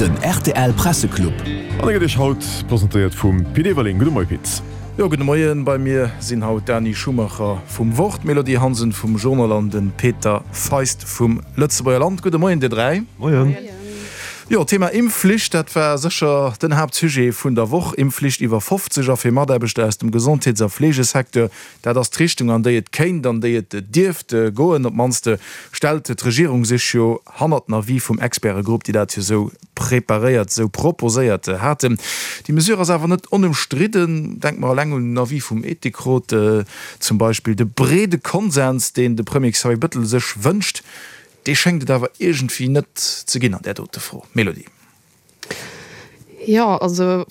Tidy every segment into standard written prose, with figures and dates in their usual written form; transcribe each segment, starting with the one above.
Den rtl Presseclub. An e gëtt Iech haut presentéiert vum Pit Everling. Gudde Moie Pit. Jo, gudde Moien. Bei mir sinn haut d'Dani Schumacher vum Wort, d'Mélodie Hansen vum Journal an de Peter Feist vum Lëtzebuerger Land. Gudde Moien dir 3. Moien. Jo, Thema Impfflicht, dat war sécher den Haaptsujet vun der Woch. Impfflicht iwwer 50 a fir Mataarbechter aus dem Gesondheets a Fleegesecteur. Dat ass d'Richtung, an déi et kéint, an déi et dierft goen. Op d'mannst stellt d'Regierung sech jo hannert den Avis vum Expertegrupp, déi dat jo esou preparéiert, esou proposéiert haten. Déi Mesure ass awer net onëmstridden. Denke mer eleng un den Avis vum Ethikrot zum Beispill. De breede Konsens, deen de Premier Xavier Bettel sech wënscht, dee schéngt et awer iergendwéi net ze ginn an där dote Fro. Mélodie. Jo, also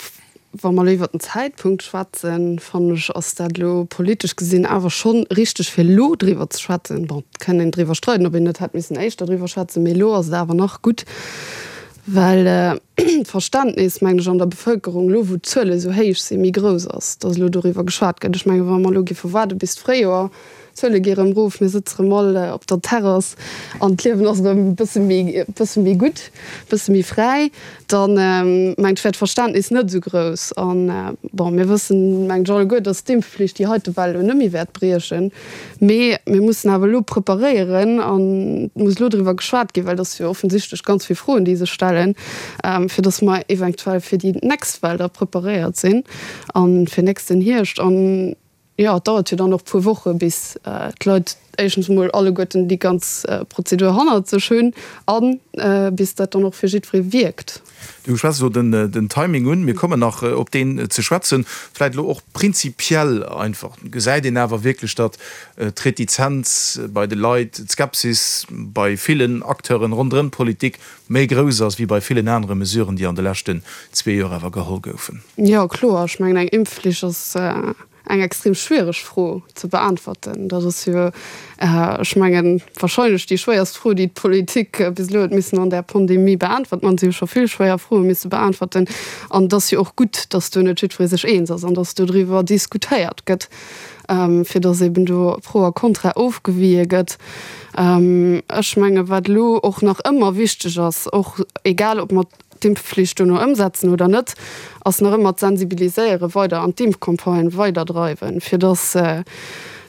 wa mer elo iwwert den Zäitpunkt schwätzen, fannen ech, ass dat elo politesch gesinn awer scho richteg, fir elo driwwer ze schwätzen. Bon, et kann een driwwer streiden, ob een net hätt missen éischter driwwer schwätzen, mee elo ass et awer nach gutt, well d'Verständnis, mengen ech, an der Bevëlkerung elo, wou d'Zuele esou héich sinn, méi grouss ass, datt elo doriwwer geschwat gëtt. Ech mengen, wa mer elo géife waarde bis d'Fréijoer, D'Zuele gi rëm rof, mir sëtze rëm all op der Terrass an d'Liewen ass rëm e bësse méi, e bësse méi gutt, e bësse méi fräi, dann mengt ech wär d'Verständnis net esou grouss. An bon, mir wëssen, mengt ech, alleguer, datt d'Impfflicht déi heite Well elo net méi wäert briechen. Mee mir mussen awer elo preparéieren an et muss elo driwwer geschwat ginn, well et ass jo offensichtlech ganz vill Froen, déi sech stellen, fir datt mer eventuell fir déi nächst Well da preparéiert sinn a fir nächsten Hierscht. An Jo, et dauert jo dann och puer Woche bis d'Leit éischtens emol alleguerten déi ganz Prozedur hannert sech hunn a bis dat dann och fir jiddweree wierkt. Du schwätz elo den Timing un. Mir kommen nach op deen ze schwätzen. Vläicht elo och prinzipiell einfach, Gesäit een awer wierklech, datt d'Retizenz bei de Leit, d'Skepsis bei villen Acteuren ronderëm d'Politik méi grouss ass wéi bei villen anere Mesuren, déi an de leschten zwee Joer awer geholl goufen? Jo, kloer. Ech mengen, eng Impfflicht ass eng extrem schwiereg Fro ze beäntwerten. Dat ass jo, ech mengen, wahrscheinlech déi schwéierst Fro, déi d'Politik bis elo huet missen an där Pandemie beäntwerten. An si hu scho vill schwéier Froe misse beäntwerten. An et ass jo och gutt, datt do net jiddweree sech eens ass an datt dodriwwer diskutéiert gëtt, fir datt eben do Pro a Contra ofgewie gëtt. Ech menge wat elo och nach ëmmer wichteg ass, och egal ob mer d'Impfflicht dono ëmsetzen oder net, ass nach ëmmer d'Sensibiliséiere weider an d'Impfcampagne weiderdreiwen, fir datt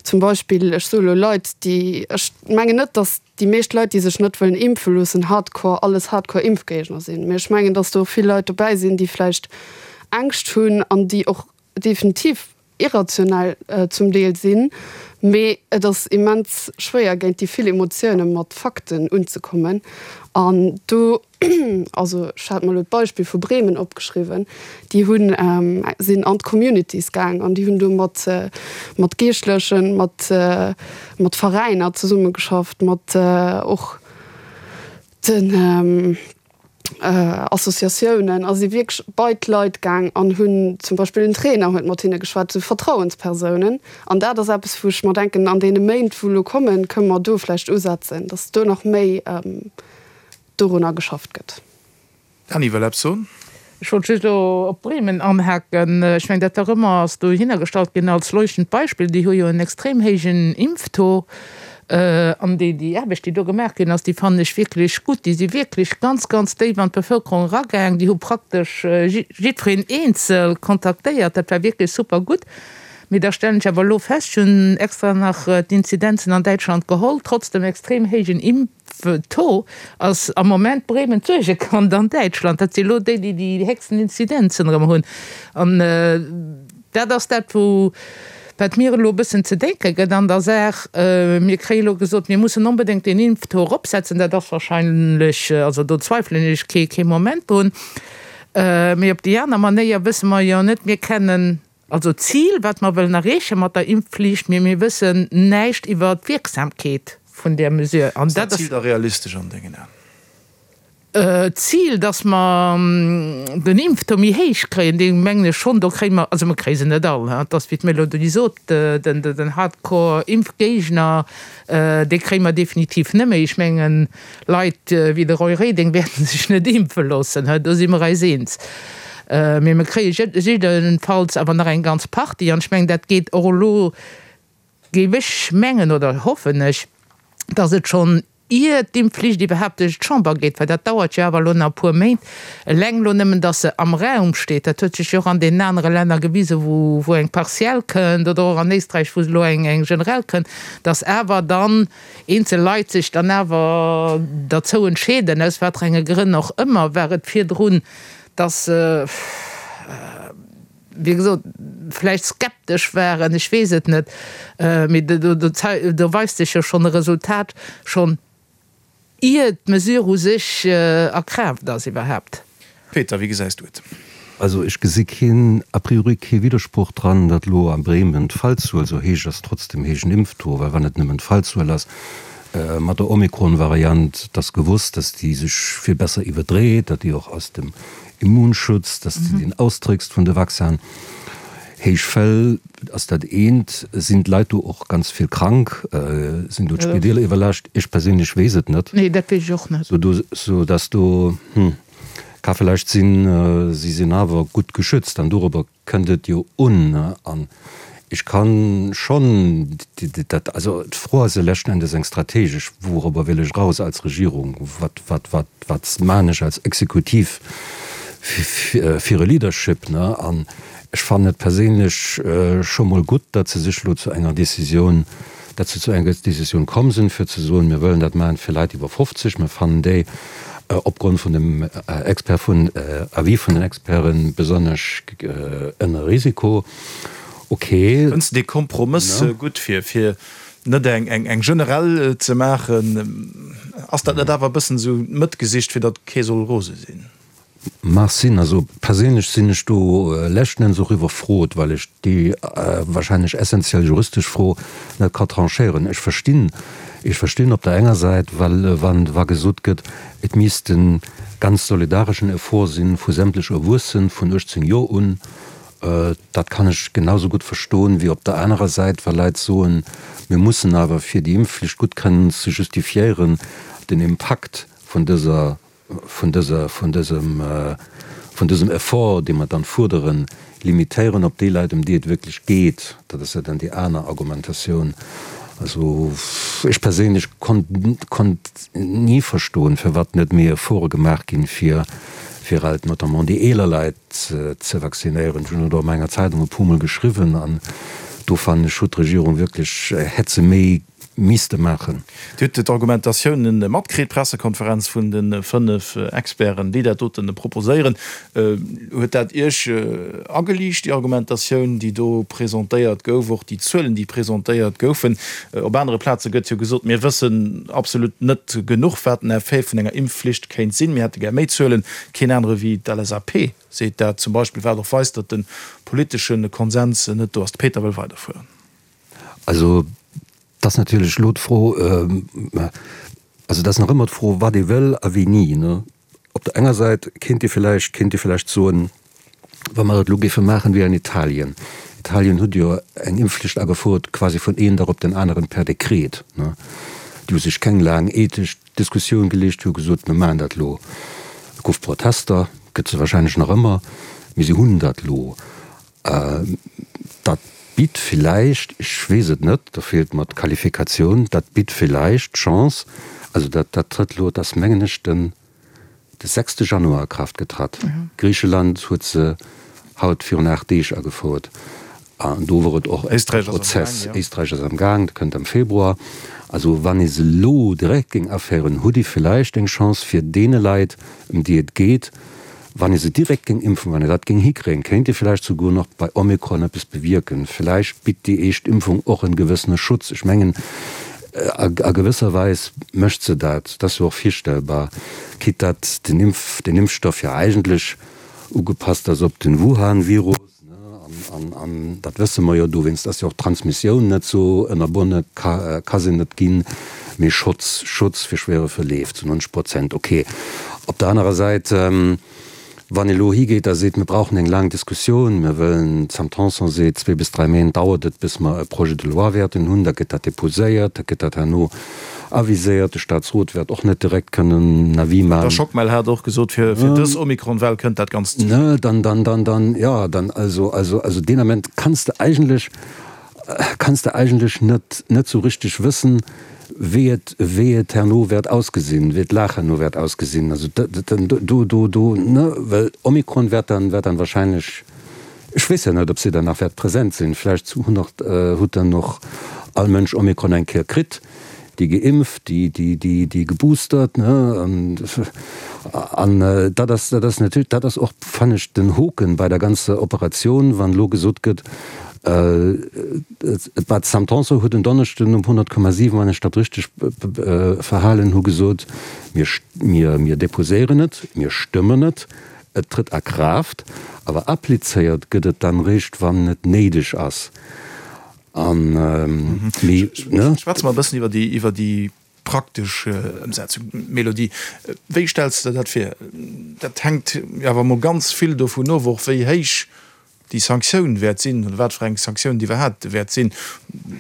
zum Beispill, ech soe elo Leit, déi, ech mengen net, datt déi meescht Leit, déi sech net wëllen impfe loossen, hardcore, alles hardcore Impfgéigner sinn, mee ech mengen, datt do och vill Leit dobäi sinn, déi vläicht Ängscht hunn an déi och definitiv irrationell zum Deel sinn, mee et ass immens schwéier géint déi vill Emotioune mat Fakten unzekommen. An do, also ech hat mer elo d'Beispill vu Bremen opgeschriwwen, déi hunn, sinn an d'Communities gaang an déi hunn do mat mat Geeschtlechen, mat mat Veräiner zesummegeschafft, mat och den Associatiounen a si wierklech bei d'Leit gaang an hunn zum Beispill den Trainer huet mat hinne geschwat, esou Vertrauenspersounen. An dat ass eppes, wou ech mer denken, an deene Méint, wou elo kommen, kënne mer do vläicht usetzen, datt do nach méi dorunner geschafft gëtt. Dany wëll eppes soen. Ech wollt just elo op Bremen anhaken. Ech mengen, dat nach ëmmer ass dohinner gestallt ginn als leuchtend Beispill. Déi hu jo en extrem héijen Impftaux. An déi, déi Aarbecht, déi do gemaach ginn ass, déi fannen ech wierklech gutt. Déi si wierklech ganz, ganz déif an d'Bevëlkerung eragaang. Déi hu praktesch jiddwereen eenzel kontaktéiert. Dat war wierklech super gutt. Mee da stellen ech awer elo fest, ech hunn extra nach d'Inzidenzen an Däitschland geholl, trotz dem extrem héijen Impftaux ass am Moment Bremen d'Suergekand an Däitschland. Dat si elo déi, déi déi héchsten Inzidenzen erëm hunn. An dat ass dat, wou Wat mir elo e bëssen ze denke gëtt an der Saach, mir kréie elo gesot, mir mussen onbedéngt deen Impftaux eropsetzen, dat ass wahrscheinlech, also do zweifelen ech kee kee Moment drun, mee op déi aner Manéier wësse mer jo net, mir kennen also d'Zil, wat mer wëllen erreeche mat der Impfflicht, mee mir wëssen näischt iwwer d'Wierksamkeet vun där Mesure. Ass dat Zil da realistesch an dengen Aen? D'Zil, dass mer den Impftaux méi héich kréien, dee mengen ech schonn, do kréie mer, also mer kréie se net all, et ass wéi d'Mélodie sot, den Hardcore-Impfgéigner, dee kréie mer definitiv net méi. Ech mengen, Leit wéi de Roy Reding wäerte sech net impfe loossen, do si mer eis eens. Mee mer kréie jiddenfalls awer nach eng ganz Partie an ech mengen, dat geet och elo, géif ech mengen oder hoffen ech, dass et schonn. ier d'Impfflicht iwwerhaapt duerch d'Chamber geet, well dat dauert jo awer elo nach e puer Méint, eleng elo nëmmen, datt se am Raum steet, dat huet sech jo och an deenen anere Länner gewisen, wou wou eng partiell kënnt, oder och an Éisträich, wou elo eng eng generell kënnt, datt awer dann eenzel Leit sech dann awer derzou entscheeden, aus wat fir enge Grënn och ëmmer, war et virdrun, datt se, wéi gesot, vläicht skeptesch waren, ech weess et net, mee do weist sech jo schonn e Resultat, schonn ier d'Mesure u sech a Kraaft ass iwwerhaapt. Peter, wéi gesäis du et? Also ech gesi keen, a priori kee Widdersproch dran, datt elo a Bremen d'Fallzuel esou héich ass, trotz dem héijen Impftaux, well wann et nëmmen d'Fallzuel ass mat der Omikron-Variant, et ass gewosst, datt déi sech vill besser iwwerdréit, datt déi och aus dem Immunschutz, dass de deen austrickst vun de Vaccinen. Héich Fäll ass dat eent. Sinn d'Leit do och ganz vill krank? Sinn do d'Spideeler iwwerlaascht? Ech perséinlech weess et net. Nee, dat weess ech och net. Sou dass do, hm, ka vläicht sinn, si sinn awer gutt geschützt an dorobber kënnt et jo un. An ech ka schonn dat, also d'Fro ass jo leschten Endes eng strategesch, Wourobber wëll ech eraus als Regierung? Wat, wat, wat, wat maan ech als Exekutiv fir e Leadership? An ech fannen et perséinlech scho mol gutt, datt se sech elo zu enger Décisioun, datt se zu enger Décisioun komm sinn, fir ze soen, mir wëllen dat maachen fir Leit iwwer 50, mir fannen déi opgrond vun dem Expert, vun Avis vun den Experten, besonnesch ënner Risiko. Ok. Fënns de dee Kompromëss gutt, fir fir net eng eng generell ze maachen? Ass dat net awer e bëssen esou d'Mëtt gesicht, fir datt kee soll rose sinn? Mag sinn. Also perséinlech sinn ech do leschten Enns och iwwerfrot, well ech déi wahrscheinlech essenziell juristesch Fro net ka tranchéieren. Ech verstinn, ech verstinn op der enger Säit, well wann wa gesot gëtt, et misst e ganz solidareschen Effort si vu sämtlech Erwuessen vun 18 Joer un, dat kann ech genau sou gutt verstoen, wéi op der anerer Säit, wa Leit soen, mir mussen awer, fir déi Impfflicht gutt kënnen ze justifiéieren, den Impakt vun dëser vun dëser, vun dësem, vun dësem Effort, dee mer dann fuerderen, limitéieren op déi Leit, ëm déi et wierklech geet. Dat ass jo dann déi aner Argumentatioun. Also ech perséinlech konnt, konnt ni verstoen, firwat net méi Efforte gemaach ginn, fir, fir halt notamment déi eeler Leit ze vaccinéieren. Ech hunn et och an enger Zeitung e puermol geschriwwen an do fannen ech, huet d'Regierung wierklech, hätt se méi misste maachen. Dir hutt d'Argumentatiounen matkritt, d'Pressekonferenz vun de 5 Experten, déi dat dote proposéieren. Huet dat Iech ageliicht, déi Argumentatioun, déi do presentéiert gouf, och déi Zuelen, déi presentéiert goufen? Op anere Plaze gëtt jo gesot, mir wëssen absolut net genuch, wat den Effet vun enger Impfflicht kéint sinn. Mir hätte gär méi Zuelen. Keen anere wéi d'LSAP seet dat zum Beispill, wat och weist, datt de politesche Konsens net do ass. De Peter wëll weiderfueren. Also, et ass natierlech elo d'Fro, also et ass nach ëmmer d'Fro, wat ee wëll a wéini. Op der enger Säit kéint ee villäicht, kéint ee villäicht soen, wa mer et elo géife maachen wéi an Italien, Italien huet jo eng Impfflicht agefouert quasi vun een Dag op den aneren per Dekret, déi hu sech keng laang ethesch Diskussioun geleescht, hu gesot, mir maachen dat elo. Et gouf Protester, gëtt se wahrscheinlech nach ëmmer, mee se hunn dat elo. Dat bitt villäicht, ech weess et net, do feelt mer d'Qualifikatioun, dat bitt villäicht d'Chance, also dat dat trëtt elo, et ass mengen ech den de sechste Januar a Kraaft getratt. Griicheland huet se haut virun 8 Deeg agefouert an do wor et och e Prozess. Éisträich ass am Gaang, dat kënnt am Februar. Also wann ee se elo direkt géing aféieren, hutt ee villäicht eng Chance fir deene Leit, ëm déi et geet, Wann ee se direkt géing impfen, wann ee dat géing hikréien, kéint ee vläicht souguer nach bei Omikron eppes bewierken. Vläicht bitt déi éischt Impfung och en gewëssene Schutz. Ech mengen, a gewësser Weis mécht se dat. Dat ass jo och virstellbar, quitte datt den Impf, den Impfstoff jo eigentlech ugepasst ass op den Wuhan-Virus. An dat wësse mer jo, dowéinst ass jo och d'Transmissioun net esou ënnerbonne, ka se net ginn, mee Schutz, Schutz fir schwere Verleef zu 90 Prozent, ok. Op der anerer Säit, wann ee elo higeet a seet, mir brauchen eng laang Diskussioun, mir wëllen, d'Sam Tanson seet, zwee bis dräi Méint dauert et, bis mer e Projet de loi wäerten hunn, da gëtt dat déposéiert, da gëtt dat herno Aviséiert, de Staatsrot wäert och net direkt kënnen en Avis maachen. De Schockmel hat och gesot, fir dës Omikron-Well kënnt dat Ganzt ze spéit. Dann, dann, dann, dann, jo, dann, also, also, also deen Ament kanns de eigentlech, kanns de eigentlech net, net sou richteg wëssen. wéi et, wéi et herno wäert ausgesinn, wéi d'Lag herno wäert ausgesinn. Also do, do, do, ne, well Omikron wäert dann, wäert dann wahrscheinlech, ech weess jo net, ob se dann nach wäert präsent sinn, vläicht hunn och, hutt dann och all Mënsch Omikron eng Kéier kritt, déi geimpft, déi, déi, déi, déi geboostert, ne, an, an dat ass, dat ass natierlech, dat ass och, fannen ech, den Hoken bei der ganzer Operatioun, wann elo gesot gëtt, D'Sam Tanson huet en Donneschden um 100,7, wann ech dat richteg verhalen hu, gesot, Mir, mir deposéieren et, mir stëmmen et, et trëtt a Kraaft, awer applizéiert gëtt et dann eréischt, wann et néideg ass. An, mee, ne? Schwätze mer e bëssen iwwer déi, iwwer déi praktesch Ëmsetzung. Mélodie, wéi stells de der dat vir? Dat hänkt jo awer emol ganz vill dovun of, och wéi héich déi Sanktioun wäert sinn oder wat fir eng Sanktioun et iwwerhaapt wäert sinn.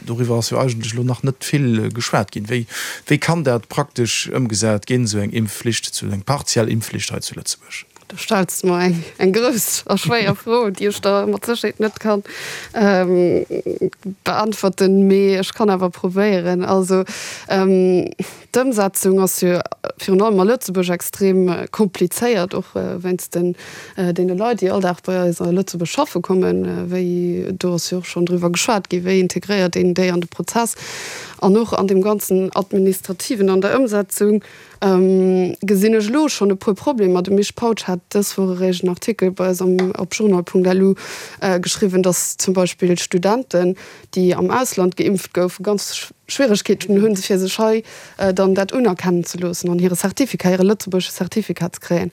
Doriwwer ass jo eigentlech elo nach net vill geschwat ginn. Wéi, wéi kann dat praktesch ëmgesat ginn, esou eng Impfflicht, esou eng partiell Impfflicht hei zu Lëtzebuerg? Do stells de mer eng, eng grouss a schwéier Fro, déi ech der mat Sécherheet net kann beantworten, mee ech kann awer probéieren. Also d'Ëmsetzung ass jo virun allem a Lëtzebuerg extrem komplizéiert, och wéinst den deene Leit, déi all Dag bei eis a Lëtzebuerg schaffe kommen. Wéi, do ass jo och schonn driwwer geschwat ginn, wéi integréiert een déi an de Prozess an och an deem ganzen Administrativen an der Ëmsetzung. Gesinn ech elo schonn e puer Problemer. De Misch Pautsch hat dës Woch eréischt en Artikel bei eis am op journal.lu geschriwwen, datt zum Beispill Studenten, déi am Ausland geimpft goufen, ganz Schwieregkeeten hunn, fir sech hei dann dat unerkennen ze loossen an hire Certificat, hire lëtzebuergesche Certificat ze kréien.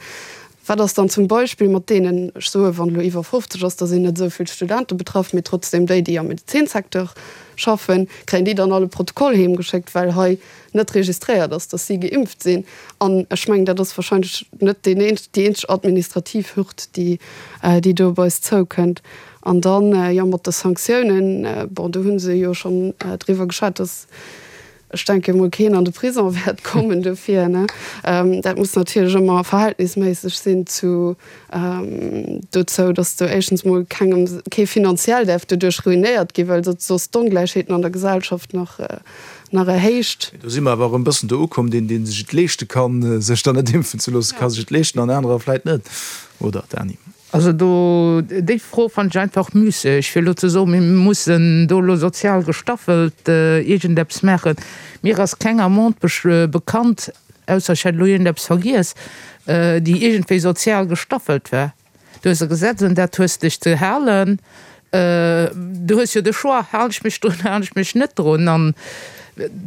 Wat ass dann zum Beispill mat deenen, ech soe wann elo iwwer 50 ass, da sinn net esou vill Studente betraff, mee trotzdem déi, déi am Medezinsecteur schaffen, kréien déi dann all e Protokoll heemgeschéckt, well hei net registréiert ass, datt si geimpft sinn? An ech mengen, dat ass wahrscheinlech net deen déi eenzeg administrativ Hürd, déi déi do op eis zoukënnt. An dann, jo, mat de Sanktiounen, bon, do hu se jo schonn driwwer geschwat, datt, Ech denke mol keen an de Prison wäert kommen dofir, ne. Dat muss natierlech ëmmer verhältnisméisseg sinn zu dozou, datt do éischtens mol kengem, kee finanziell däerf doduerch ruinéiert ginn, well dat soss d'Ongläichheeten an der Gesellschaft nach, nach erhéicht. Do si mer awer erëm e bëssen do ukomm, deen, dee sech et leeschte kann, sech dann net impfen ze loossen, ka sech et leeschten an anerer vläit net, oder Dany? Also do, déi Fro fannen ech einfach müsseg, fir elo ze soen, mir mussen do elo sozial gestaffelt iergendeppes maachen. Mir ass keng Amende bekannt, ausser ech hätt elo iergendeppes vergiess, déi iergendwéi sozial gestaffelt war. Du hues e Gesetz, un dat hues dech ze halen. Du hues jo de Choix, halen ech mech drun, halen ech mech net drun. An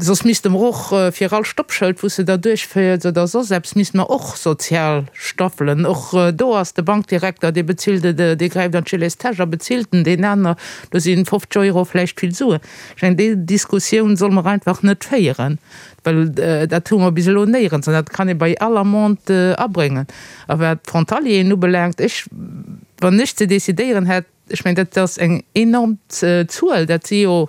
soss misste mer och fir all Stoppschëld, wou s de da duerchféiers oder soss eppes, misste mer och sozial staffelen. Och do ass de Bankdirekter, dee bezilt et, dee gräift an d'Gilets-Täsch a bezilt en, deen aner, do si 50 Euro vläicht vill Suen. Ech mengen, déi Diskussioun solle mer einfach net féieren, well dat hu mer bis elo néierens an dat kann ee bei all Amende abréngen. A wat d'Frontalieren ubelaangt, ech, wann ech ze decidéieren hätt, ech mengen, dat ass eng enorm Zuel, dat si jo,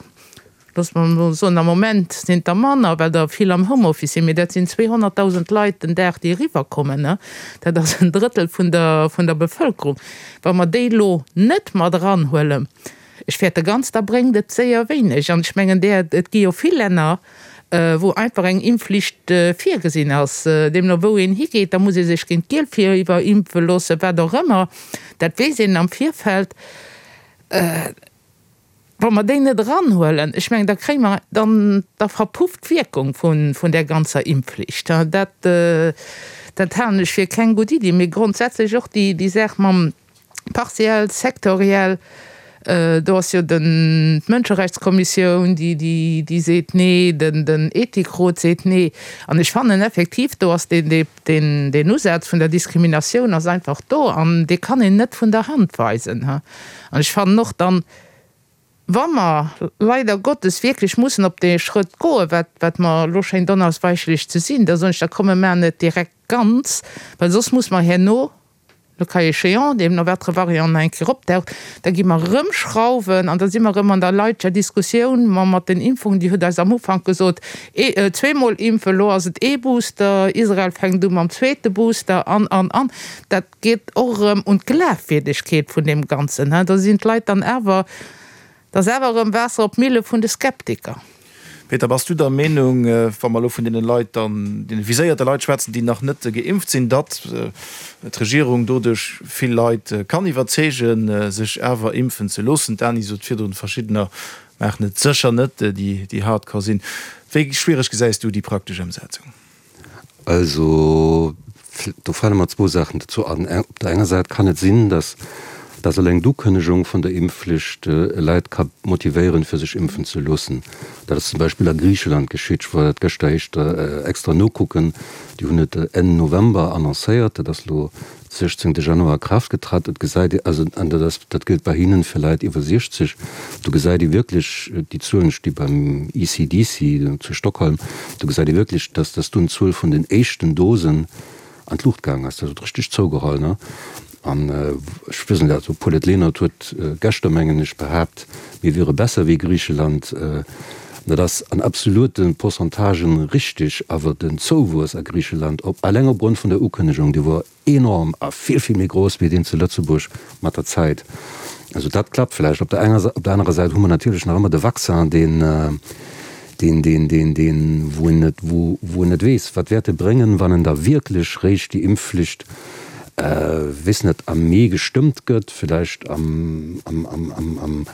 loosse mer emol soen, am Moment sinn et der manner, well der vill am Homeoffice sinn, mee dat sinn 200.000 Leit den Dag, déi eriwwerkommen. Dat ass en Drëttel vun der, vun der Bevëlkerung. Wa mer déi elo net mat eranhuelen, ech fäerte ganz, da bréngt et séier wéineg. An ech mengen, där, et gi jo vill Länner, wou einfach eng Impfflicht virgesinn ass, deemno wou een higeet, da muss ee sech géint d'Gielfiiwer impfe loossen, wat och ëmmer, dat weess een am Virfeld. Wa mer déi net eranhuelen, ech mengen, da kréie mer, dann, da verpufft d'Wierkung vun där ganzer Impfflicht. Dat, dat halen ech fir keng gutt Iddi. Mee grondsätzlech och déi Saach mam, Partiell, sektoriell, do ass jo den, d'Mënscherechtskommissioun, déi, déi, déi seet nee, den, den Ethikrot seet nee. An ech fannen effektiv, do ass deen, dee, deen, deen Usaz vun der Diskriminatioun ass einfach do an dee kann een net vun der Hand weisen. An ech fannen och dann, wa mer leider Gottes wierklech mussen op dee Schrëtt goen, wat, wat mer elo schéint onausweichlech ze sinn, da soen ech, da komm mir maachen et direkt ganz, well soss muss mer herno, le cas échéant, deemno watere Variant nach eng Kéier opdaucht, da gi mer erëm schrauwen an da si mer erëm an der leidger Diskussioun ma mat den Impfungen. Dir hutt eis am Ufank gesot, ee, zweemol impfen, elo ass et ee Booster, Israel fänkt u mam zweete Booster an, an, an. Dat geet och erëm un d'Glafwierdegkeet vun deem Ganzen. Da sinn d'Leit dann awer, da ass awer erëm Waasser op d'Mille vun de Skeptiker. Peter, bass du der Meenung, wa mer elo vun deene Leit dann, deene viséierte Leit schwätzen, déi nach net geimpft sinn, datt d'Regierung doduerch vill Leit kann iwwerzeegen, sech awer impfen ze loossen? D'Dany sot virdrun, verschiddener maachen et sécher net, déi hardcore sinn. Wéi schwiereg gesäis du déi praktesch Ëmsetzung? Also, do fale mer zwou Saachen dozou an. Op der enger Säit kann et sinn, dass dass eleng d'Ukënnegung vun der Impfflicht Leit ka motivéieren, fir sech impfen ze loossen. Dat ass zum Beispill a Griicheland geschitt. Ech war dat gëschter éischter extra nokucken. Déi hunn et Enn November annoncéiert. Dat ass elo 16 Januar a Kraaft getratt. Et gesäit ee, also, an dat ass, dat gëllt bei hinnen fir Leit iwwer 60, do gesäit ee wierklech, déi Zuelen sti beim ECDC zu Stockholm, do gesäit ee wierklech, dass, dass dunn d'Zuel vun den éischten Dosen an d'Luucht gaang ass. Dat huet richteg zougeholl, ne? An ech weess net, also Paulette Lenert huet geschter, mengen ech, behaapt, mir wiere besser wéi Griicheland. Dat ass an absolute Pourcentagen richtig, awer den Zouwuess a Griicheland, op alleng opgrond vun der Ukënnegung, dee wor enorm a vill, vill méi grouss wéi deen zu Lëtzebuerg mat der Zäit. Also dat klappt vläicht. Op der enger, op der anerer Säit hu mer natierlech nach ëmmer de Vaccin, deen, deen, deen, deen, deen, wou een net, wou, wou een net weess, wat wäert e bréngen, wann en da wierklech réischt déi Impfflicht, weess net, am Mee gestëmmt gëtt, vläicht am, am, am, am, am,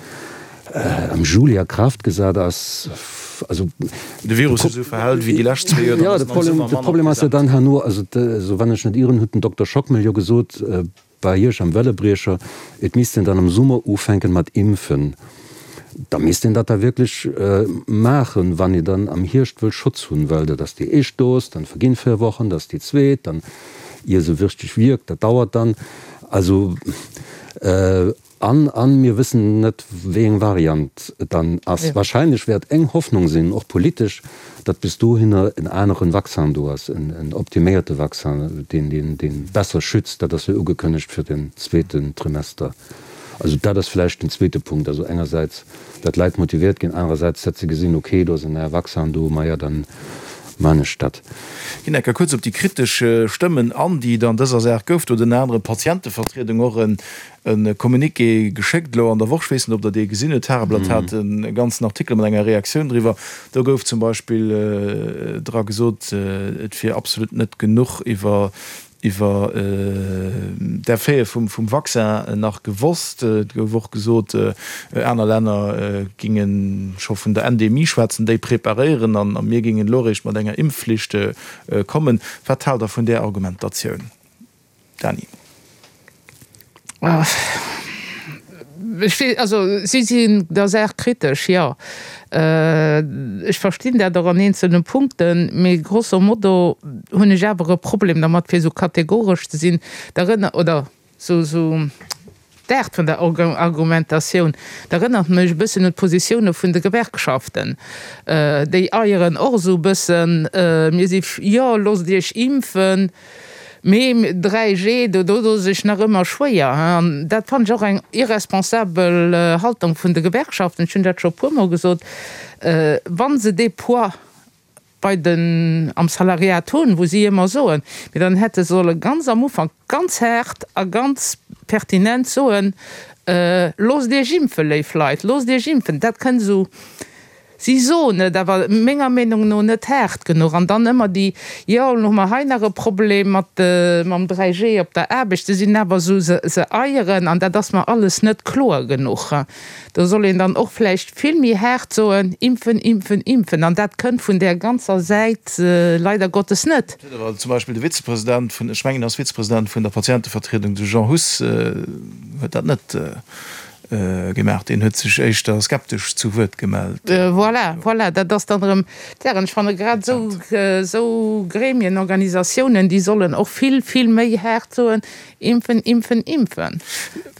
am Juli a Kraaft gesat ass. Also, De Virus sech esou verhält wéi déi lescht zwee Joer, dann ass en am Summer manner present. De Problem ass jo dann herno, also esou wann ech net ieren, huet den Dokter Schockmel jo gesot bei Iech am Wellebriecher, et misst een dann am Summer ufänken mat impfen. Da misst een dat da wierklech maachen, wann ee dann am Hierscht wëll Schutz hunn, well dat ass déi éischt Dos, dann verginn 4 Wochen, dat ass déi zweet, dann ier se wierklech wierkt, dat dauert dann. Also. An, an mir wëssen net, wéi eng Variant et dann ass. Wahrscheinlech wäert eng Hoffnung sinn, och politesch, datt bis dohinner en aneren Vaccin do ass, en optiméierte Vaccin, deen, deen, deen besser schützt. Dat ass jo ugekënnegt fir den zweeten Trimester. Also dat ass vläicht den zweete Punkt. Also engersäits, datt d'Leit motiviert ginn, anerersäits, datt se gesinn, okay, do ass en neie Vaccin do, maja, dann maan ech dat. Ginn enker kuerz op déi kritesch Stëmmen an, déi et an dëser Saach gouf. Do huet ënner anerem d'Patientevertriedung och en E Communiqué geschéckt elo an der Woch, ech weess net, ob Der dee gesinn hutt, d'Tageblatt hat e ganzen Artikel mat enger Reaktioun driwwer. Do gouf zum Beispill dra gesot, et wier absolut net genuch iwwer iwwer d'Effete vum vum Vaccin nach gewosst. Et gouf och gesot, aner Länner ginge scho vun der Endemie schwätzen, déi preparéieren an a mir gingen elo eréischt mat enger Impfflicht kommen. Wat haalt Der vun där Argumentatioun? Dany. Ech weess, also si sinn der Saach kritesch, jo. Ech verstinn dat och an eenzelne Punkten, mee grosso modo hunn ech awer e Problem dermat, fir esou kategoresch ze sinn. Da erënner, oder esou, esou D'Aart vun der Argumentatioun, dat erënnert mech e bëssen un d'Positioune vun de Gewerkschaften. Déi eieren och esou e bëssen, mir si jo, loosst iech impfen, mee 3G, do doe se sech nach ëmmer schwéier. An dat fannen ech och eng irresponsabel Haltung vun de Gewerkschaften. Ech hunn dat scho e puermol gesot, wa se dee Poids bei den am Salariat hunn, wou si ëmmer soen, mee dann hätte se solle ganz am Ufank ganz haart a ganz pertinent soen, Loosst Iech impfen, léif Leit, loosst Iech impfen. Dat kënnt esou, si soen et awer menger Meenung no net haart genuch. An dann ëmmer déi, jo, elo hu mer hei nach e Problem mat mam 3G op der Aarbecht. Se sinn awer esou, se se eieren an dat ass mer alles net kloer genuch. Do soll een dann och vläicht vill méi haart soen, Impfen, impfen, impfen. An dat kënnt vun där ganzer Säit leider Gottes net. Dat huet awer zum Beispill de Vizepresident vun, ech mengen, en ass Vizepresident vun der Patientevertriedung, de Jean Huss, huet dat net gemaach. Deen huet sech éischter skeptesch zu Wuert gemellt. Voilà, voilà, dat ass dann erëm d'Saach. An ech fanne grad esou, esou Gremien, Organisatiounen, déi sollen och vill, vill méi haart soen, Impfen, impfen, impfen!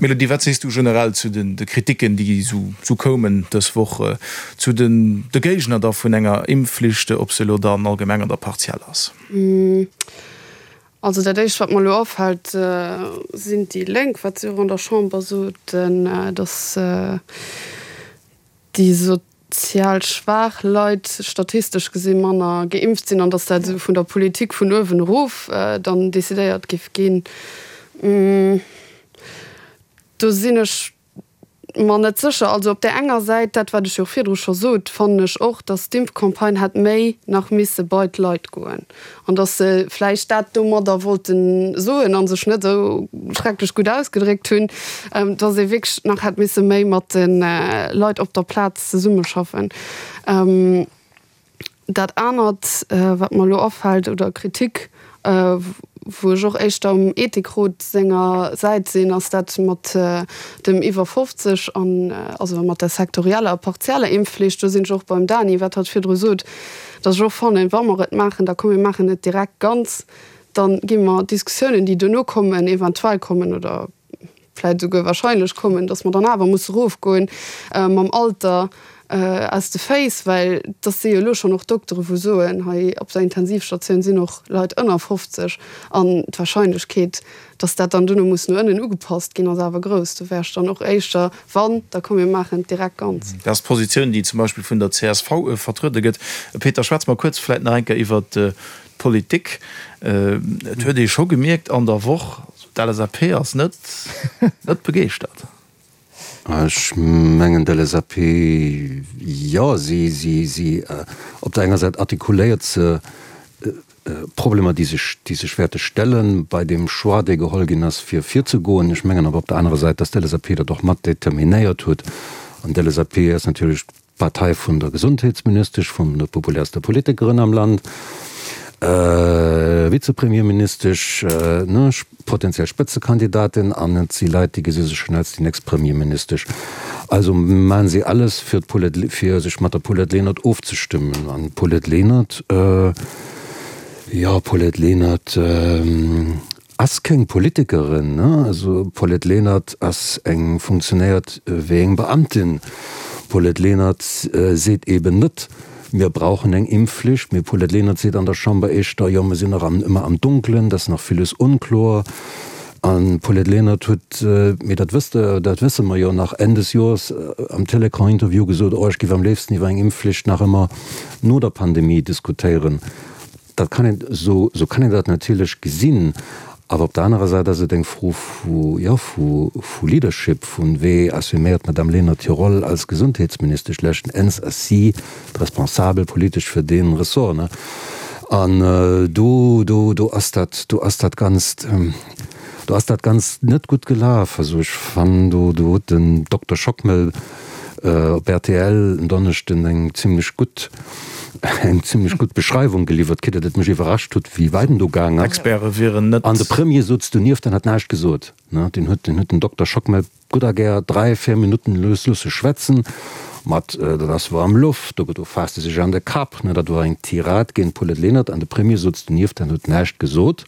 Mélodie, wat sees du generell zu den de Kritiken, déi esou koumen dës Woch, zu den de Géigner da vun enger Impfflicht, ob se elo dann allgemeng oder partiell ass? Also dat éischt wat mer elo afält, sinn déi Lénk, wat si och an der Chamber soten, datt déi sozial schwaach Leit statistesch gesi manner geimpft sinn an datt dat esou vun der Politik vun uewen erof dann decidéiert giff ginn. Do sinn ech. mer net sécher. Also op där enger Säit, dat wat ech jo virdru scho sot, fannen ech och, datt d'Impfcampagne hätt méi nach misse bei d'Leit goen an datt se vläicht dat domadder wollte soen a sech net esou schrecklech gutt ausgedréckt hunn, datt ee wierklech nach hätt misse méi mat de Leit op der Plaz zesummeschaffen. Dat anert, wat mer elo afält, oder Kritik, wou ech och éischter um Ethikrot senger Säit sinn, ass dat mat dem iwwer 50 an also mat der sektorieller a partieller Impfflicht. Do sinn ech och beim Dany, wat hatt virdru sot, datt ech och fannen, wa mer et maachen, da komm mir maachen et direkt ganz, da gi mer d'Diskussiounen, déi duerno kommen, eventuell kommen oder vläit esouguer wahrscheinlech kommen, dass mer dann awer musse erofgoen mam Alter aus de Féiss, well dass si jo elo schonn och Doktere wou soen, hei op der Intensivstatioun sinn och Leit ënner 50 an d'Wahrscheinlechkeet, dass dat dann duerno muss no ënnen ugepasst ginn, ass awer grouss. Do wär ech dann och éischter, wann, da komm mir maachen et direkt ganz. Dat ass d'Positioun, déi zum Beispill vun der csv vertruede gëtt. Peter, schwätze mer kuerz vläit nach eng Kéier iwwert d'Politik. Et huet ee scho gemierkt an der Woch, D'LSAP ass net net begeeschtert. Ech mengen d'LSAP, jo, si, si, si, op der enger Säit artikuléiert se Problemer, déi sech, déi sech wäerte stelle bei deem Choix, dee geholl ginn ass, fir virzegoen. Ech mengen awer op der anerer Säit, datt d'LSAP dat och mat determinéiert huet. An d'LSAP ass natierlech D'Partei vun der Gesondheetsministesch, vun der populärster Politikerin am Land, Vizepremierministesch, ne, potenziell Spëtzekandidatin, an et si Leit, déi gesi sech schonn als déi nächst Premierministesch. Also maachen si alles, fir d'Paulette, fir sech mat der Paulette Lenert ofzestëmmen. An d'Paulette Lenert, jo, Paulette Lenert, Ass keng Politikerin, ne? Also Paulette Lenert ass eng, funktionéiert wéi eng Beamtin. Paulette Lenert seet eben net, mir brauchen eng Impfflicht, mee Paulette Lenert seet an der Chamber éischter, jo mir sinn nach am, ëmmer am Dunklen, dat ass nach villes onkloer. An d'Paulette Lenert huet, mee dat wësst Der, dat wësse mer jo nach, Enn des Joers am Télécran-Interview gesot, oh ech géif am léifsten iwwer eng Impfflicht nach ëmmer no der Pandemie diskutéieren. Dat kann een, esou kann een dat natierlech gesinn, awer op der anerer Säit ass et eng Fro vu, jo, vu Leadership, vu wéi assuméiert d'Madame Lenert hir Roll als Gesondheetsministesch. Leschten Enns ass si d'Responsabel politesch fir dee Ressort, ne? An do, do, do ass dat, do ass dat Ganzt, do ass dat Ganzt net gutt gelaf. Also ech fannen, do, do huet den Dokter Schockmel, op rtl en Donneschden eng zimlech gutt eng zimlech gutt Beschreiwung geliwwert kritt, datt et mech iwwerrascht huet, wéi wäit en do gaang ass. D'Experte wieren net. An de Premier souz donieft an hat näischt gesot. Deen huet deen huet den Dokter Schockmel gutt a gär 3, 4 Minutten lues lusse schwätzen, mat dat ass woarm Loft, do do faasst e sech an de Kapp, dat wor eng Tirade géint d'Paulette Lenert an de Premier souz donieft an huet näischt gesot.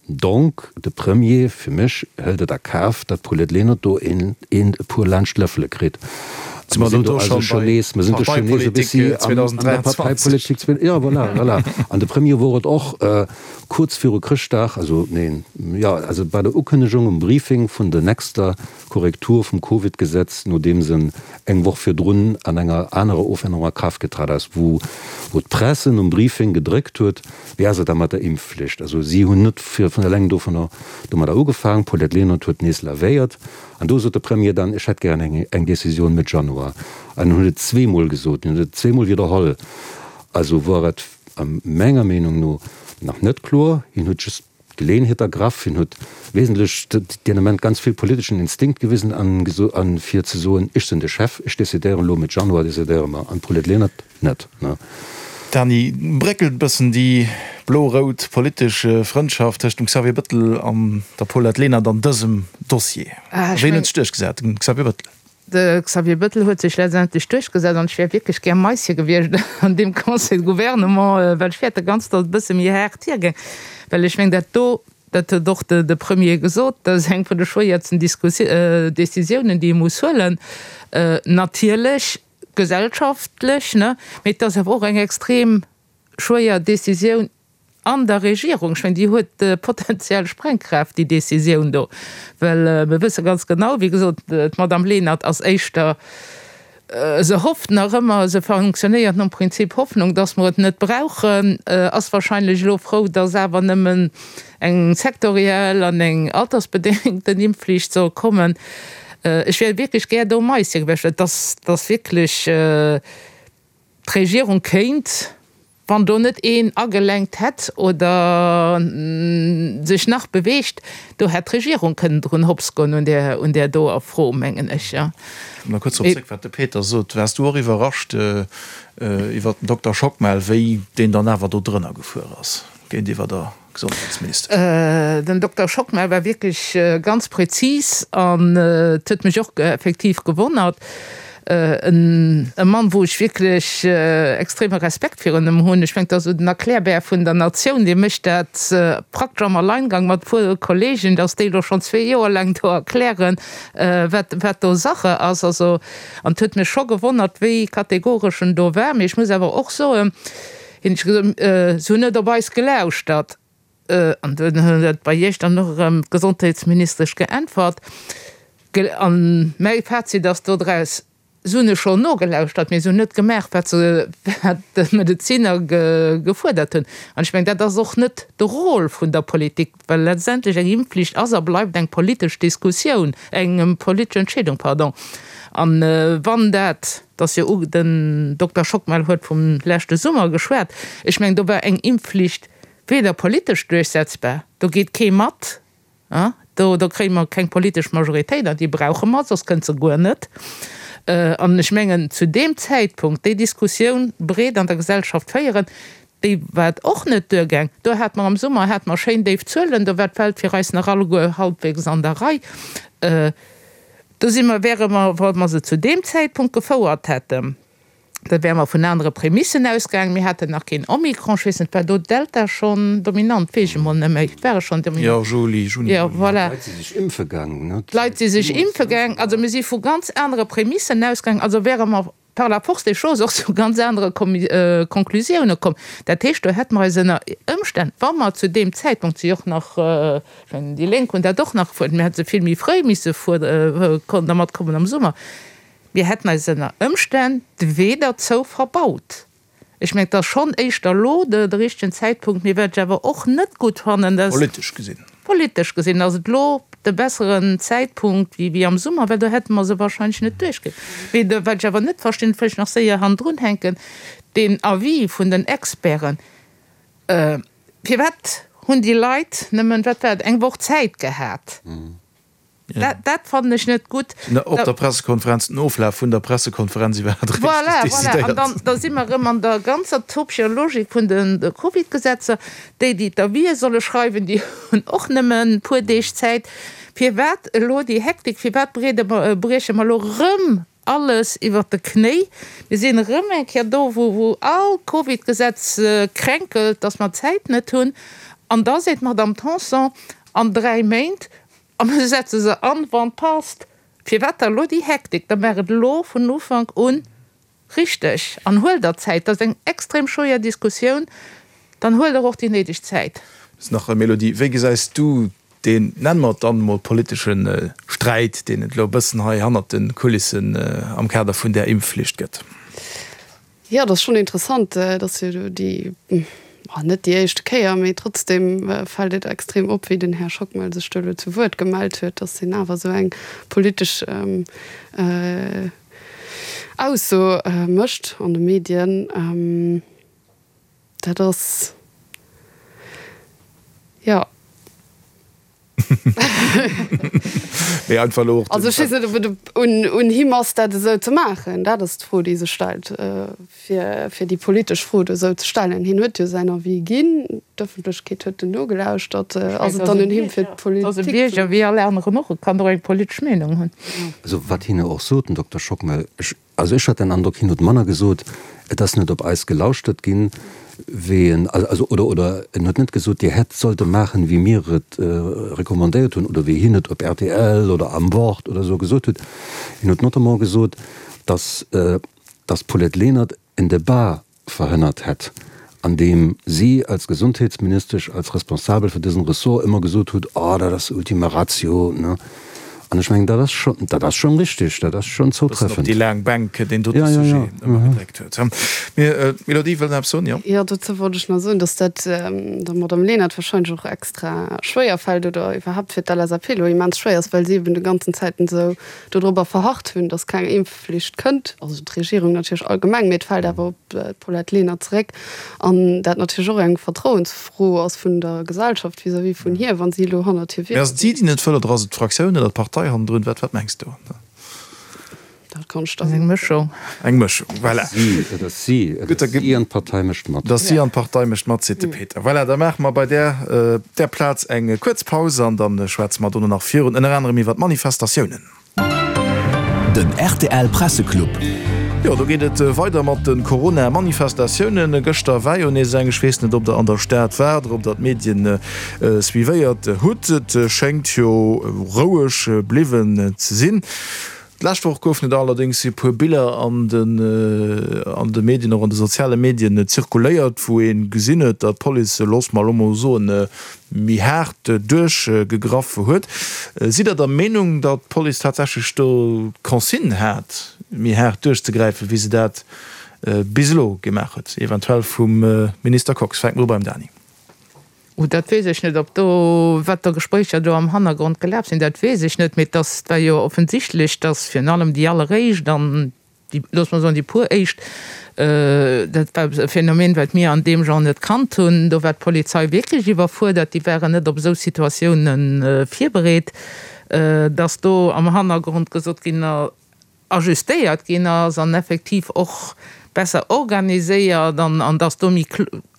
Donc, de Premier, fir mech, hëlt et a Kaf, datt d'Paulette Lenert do een, een e puer laanscht d'Lëffele kritt. Si mer do do scho bei Parteipolitik 2023? Jo, voilà, voilà. An de Premier wor et och kuerz viru Chrëschtdag, also neen, jo, also bei der Ukënnegung um Briefing vun der nächster Korrektur vum Covid-Gesetz, nodeems en eng Woch virdrun an enger anerer Ofännerung a Kraaft getrat ass, wou d'Presse nom Briefing gedréckt huet, Wéi ass et da mat der Impfflicht? Also si hunn net vun eleng dovunner domadder ugefaangen. D'Paulette Lenert huet nees lavéiert an do sot de Premier dann, ech hätt gären eng eng Decisioun Mëtt Januar. An en huet et zweemol gesot, en huet et zweemol widderholl. Also wor et a menger Meenung no nach net kloer. Hien huet just d'Geleeënheet ergraff, hien huet wesentlech deen Ament ganz vill politeschen Instinkt gewisen an an fir ze soen, ech sinn de Chef, ech decidéieren elo, Mëtt Januar decidéiere mer. An d'Paulette Lenert net. Dany, bréckelt e bëssen déi blo-rout politesch Frëndschaft tëscht dem Xavier Bëttel an der Paulette Lenert an dësem Dossier? Ween huet sech duerchgesat? Den Xavier Bëttel? De Xavier Bëttel huet sech letztendlech duerchgesat an ech wär wierklech gär Maische gewiescht an deem Conseil de Gouvernement, well ech fäerte ganz, datt et e bësse méi haart hiergéing, well ech mengen, dat do, dat huet och de Premier gesot, dat ass eng vun de schwéiersten Décisiounen, déi ee muss huelen. Natierlech gesellschaftlech, ne, mee et ass awer och eng extrem schwéier Décisioun an der Regierung. Ech mengen, déi huet potenziell Sprengkraaft, déi Décisioun do, well mir wësse ganz genau, wéi gesot, d'Madame Lenert ass éischter, se hofft nach ëmmer, se fonctionnéiert nom Prinzip Hoffnung, dass mer et net brauchen, ass wahrscheinlech elo frou, dass awer nëmmen eng sektoriell an eng altersbedéngten Impfflicht soll kommen. Ech wär wierklech gär do Maisje gewiescht, well et ass, et ass wierklech, d'Regierung kéint, wann do net een agelenkt hätt oder sech nach beweegt, do hätt d'Regierung kënnen drun hopps goen un där, un där doer Fro, mengen ech, jo. Komm nach kuerz drop zréck, wat de Peter sot. Waars du och iwwerrascht iwwert den Dokter Schockmel, wéi deen dann awer do drënner gefuer ass géintiwwer der Gesondheetsministesch? Den Dokter Schockmel war wierklech ganz präzis an et huet mech och effektiv gewonnert. E Mann, wou ech wierklech extreme Respekt virun em hunn. Ech mengen, dat ass esou den Erklärbär vun der Natioun. Dee mécht dat praktesch am Alleingang mat e puer Kollegen, datt déi elo schonn zwee Joer laang do erklären, wat, wat do Sache ass. Also, an et huet mech scho gewonnert, wéi kategoresch en do war. Mee ech muss awer och soen, Hien huet gesot, Se hunn net op eis gelauschtert. An dunn huet bei Iech dann och erëm d'Gesondheetsministesch geäntwert. An mäi Fazit ass dodraus, Se hunn e schonn nogelauschtert, mee se hunn net gemaach, wat se, wat d'Medeziner gefuerdert hunn. An ech mengen, dat ass och net de Rôle vun der Politik, well letztendlech eng Impfflicht ass a bleift eng politesch Diskussioun, eng politesch Entscheedung, pardon. An wann dat 't ass jo u, den Dokter Schockmel huet vum leschte Summer geschwat, ech mengen, do war eng Impfflicht weder politesch duerchsetzbar, do geet kee mat, do do kréie mer keng politesch Majoritéit, an déi brauche mer, soss kënnt se guer net. An ech mengen, zu deem Zäitpunkt déi Diskussioun breet an der Gesellschaft féieren, déi war et och net duergaang. Do hate mer am Summer hate mer schéin déif Zuelen, do war d'Welt fir eis nach alleguer halbwegs an der Rei. Do si mer, wäre mer, wa mer se zu deem Zäitpunkt gefouert hätten, da wäre mer vun anere Prämissen ausgaangen. Mir haten nach keen Omikron, ech weess net, war do Delta schonn dominant? Weess ech emol net méi. War e schonn dominant? Jo, Juli, Juni, Jo, Juli. voilà. D'Leit si sech impfe gaang, ne? D'Leit si sech impfe gaang. Also mir si vu ganz anere Prämissen ausgaangen. Also wäre mer par la force des choses och zu ganz anere Konklusioune komm. Dat heescht, do hätte mer eis ënner Ëmstänn, wa mer zu deem Zäitpunkt si och nach, ech mengen, déi Lénk hunn dat och nach gefuerdert, mir hätte se vill méi fréi misse dermat kommen am Summer, mir hätten eis ënner Ëmstänn de Wee derzou verbaut. Ech mengen, et ass schonn éischter elo de richtegen Zäitpunkt. Mee wat ech awer och net gutt fannen, dass. Politesch gesinn. Politesch gesinn ass et elo de besseren Zäitpunkt wéi am Summer, well do hätte mer se wahrscheinlech net duerchkritt. Mee wat ech awer net verstinn, dat wëll ech nach séier hannendrun hänken, deen Avis vun den Experten, Firwat hunn déi Leit nëmmen, wat war et, eng Woch Zäit gehat? Dat, dat fannen ech net gutt. Op der Pressekonferenz, den Oflaf vun der Pressekonferenz iwwer hat richteg Voilà, voilà. An dann, da si mer erëm an der ganzer topescher Logik vun de Covidgesetzer. Déi, déi d'Avisë solle schreiwen, déi hunn och nëmme e puer Deeg Zäit. Firwat elo déi Hektik? Firwat breede mer, brieche mer elo erëm alles iwwert de Knéi? Mir sinn erëm eng Kéier do, wou, wou all Covidgesetz kränkelt, dass mer d'Zäit net hunn. An da seet d'Madame Tanson, an dräi Méint A mir setze se an, wann et passt. Firwat da elo déi Hektik? Da maach et elo vun Ufank u richteg an huel der Zäit. Dat ass eng extrem schwéier Diskussioun. Dann huel der och déi néideg Zäit. Just nach, Mélodie, wéi gesäis du deen, nenne mer et dann emol, politesche Sträit, deen et elo e bëssen hei hannert de Kulissen am Kader vun där Impfflicht gëtt? Jo, et ass schonn interessant, et ass jo elo déi, net déi éischte Kéier, mee trotzdem fält et extrem op, wéi den Här Schockmel sech do elo zu Wuert gemellt huet, datt hien awer esou eng politesch Ausso mécht an de Medien. Dat ass, jo. Mee einfach elo och. Also ech weess net, ob et un him ass, dat esou ze maachen. Dat ass d'Fro, déi sech stellt, fir, fir déi politesch Fro do esou ze stellen. Hien huet jo säin Avis ginn, d'Ëffentlechkeet huet en nogelauschtert. Ass et dann un him, fir d'Politik ze. Ass e Bierger wéi all aneren och, e kann och eng politesch Meenung hunn. Also wat hien jo och sot, den Dokter Schockmel, ech Also ech hat den Androck, hien huet manner gesot, et ass net op eis gelauschtert ginn, wéi en, also oder oder en huet net gesot, Dir hätt sollte maachen, wéi mir et recommandéiert hunn oder wéi hien et op rtl oder am Wort oder esou gesot huet. Hien huet notamment gesot, datt datt d'Paulette Lenert en Debat verhënnert hätt, an deem si als Gesondheetsministesch, als Responsabel fir dësen Ressort ëmmer gesot hutt, Oh, dat ass Ultima Ratio, ne? An ech mengen, dat ass schon, dat ass schon richtig, dat ass schon zoutreffend. Bëssen op déi laang Bänk deen dote Sujet ëmmer gedréckt huet. Mee d'Mélodie wëll nach eppes soen, jo? Jo, dozou wollt ech nach soen, datt dat der Madame Lenert wahrscheinlech och extra schwéier fält oder iwwerhaapt fir d'LSAP elo immens schwéier ass, well si eben de ganzen Zäiten esou dodrobber verharrt hunn, datt keng Impfflicht kënnt, also d'Regierung natierlech allgemeng, mee et fält awer op d'Paulette Lenert zeréck an dat natierlech och eng Vertrauensfro ass vun der Gesellschaft vis-à-vis vun hir, wa si elo hannert hir Mee ass et si, déi net wëll, oder ass et d'Fraktioun oder d'Partei hannendrun? Wat, wat mengs du? Dat kann ech der net. Eng Mëschung. Eng Mëschung, voilà. Si, et ass si, et ass si an d'Partei mécht mat. Et ass si an d'Partei mécht mat, seet de Peter. Voilà, da maache mer bei där, där Plaz eng kuerz Paus an da schwätze mer dono nach virun, ënner anerem iwwer d'Manifestatiounen. Den rtl Presseclub. Jo, do geet et weider mat de Corona-Manifestatiounen. Gëschter war jo nees eng. Ech weess net, ob der an der Stad waart oder ob der d'Medien suivéiert hutt. Et schéngt jo roueg bliwwen ze sinn. D'lescht Woch goufen et allerdéngs e puer Biller an de Medien, och an de soziale Medien zirkuléiert, wou ee gesinn huet, datt d'Police, loosse mer elo mol soen, méi haart duerchgegraff huet. Sidd Der der Meenung, datt d'Police tatsächlech do d'Consigne hat, méi haart duerchzegräifen, wéi se dat bis elo gemaach huet, eventuell vum Minister Kox? Fänke mer u beim Dany. Oh, dat weess ech net, ob do, wat da Gespréicher do am Hannergrond gelaf sinn, dat weess ech net. Mee et ass, et war jo offensichtlech, datt virun allem déi alleréischt an déi, loosse mer soen, déi puer éischt, dat war e Phänomen, wat mir an deem Genre net kannt hunn, do war d'Polizei wierklech iwwerfuerdert, déi waren net op esou Situatiounen virbereet, datt do am Hannergrond gesot ginn ajustéiert ginn ass an effektiv och besser organiséiert an an dass do méi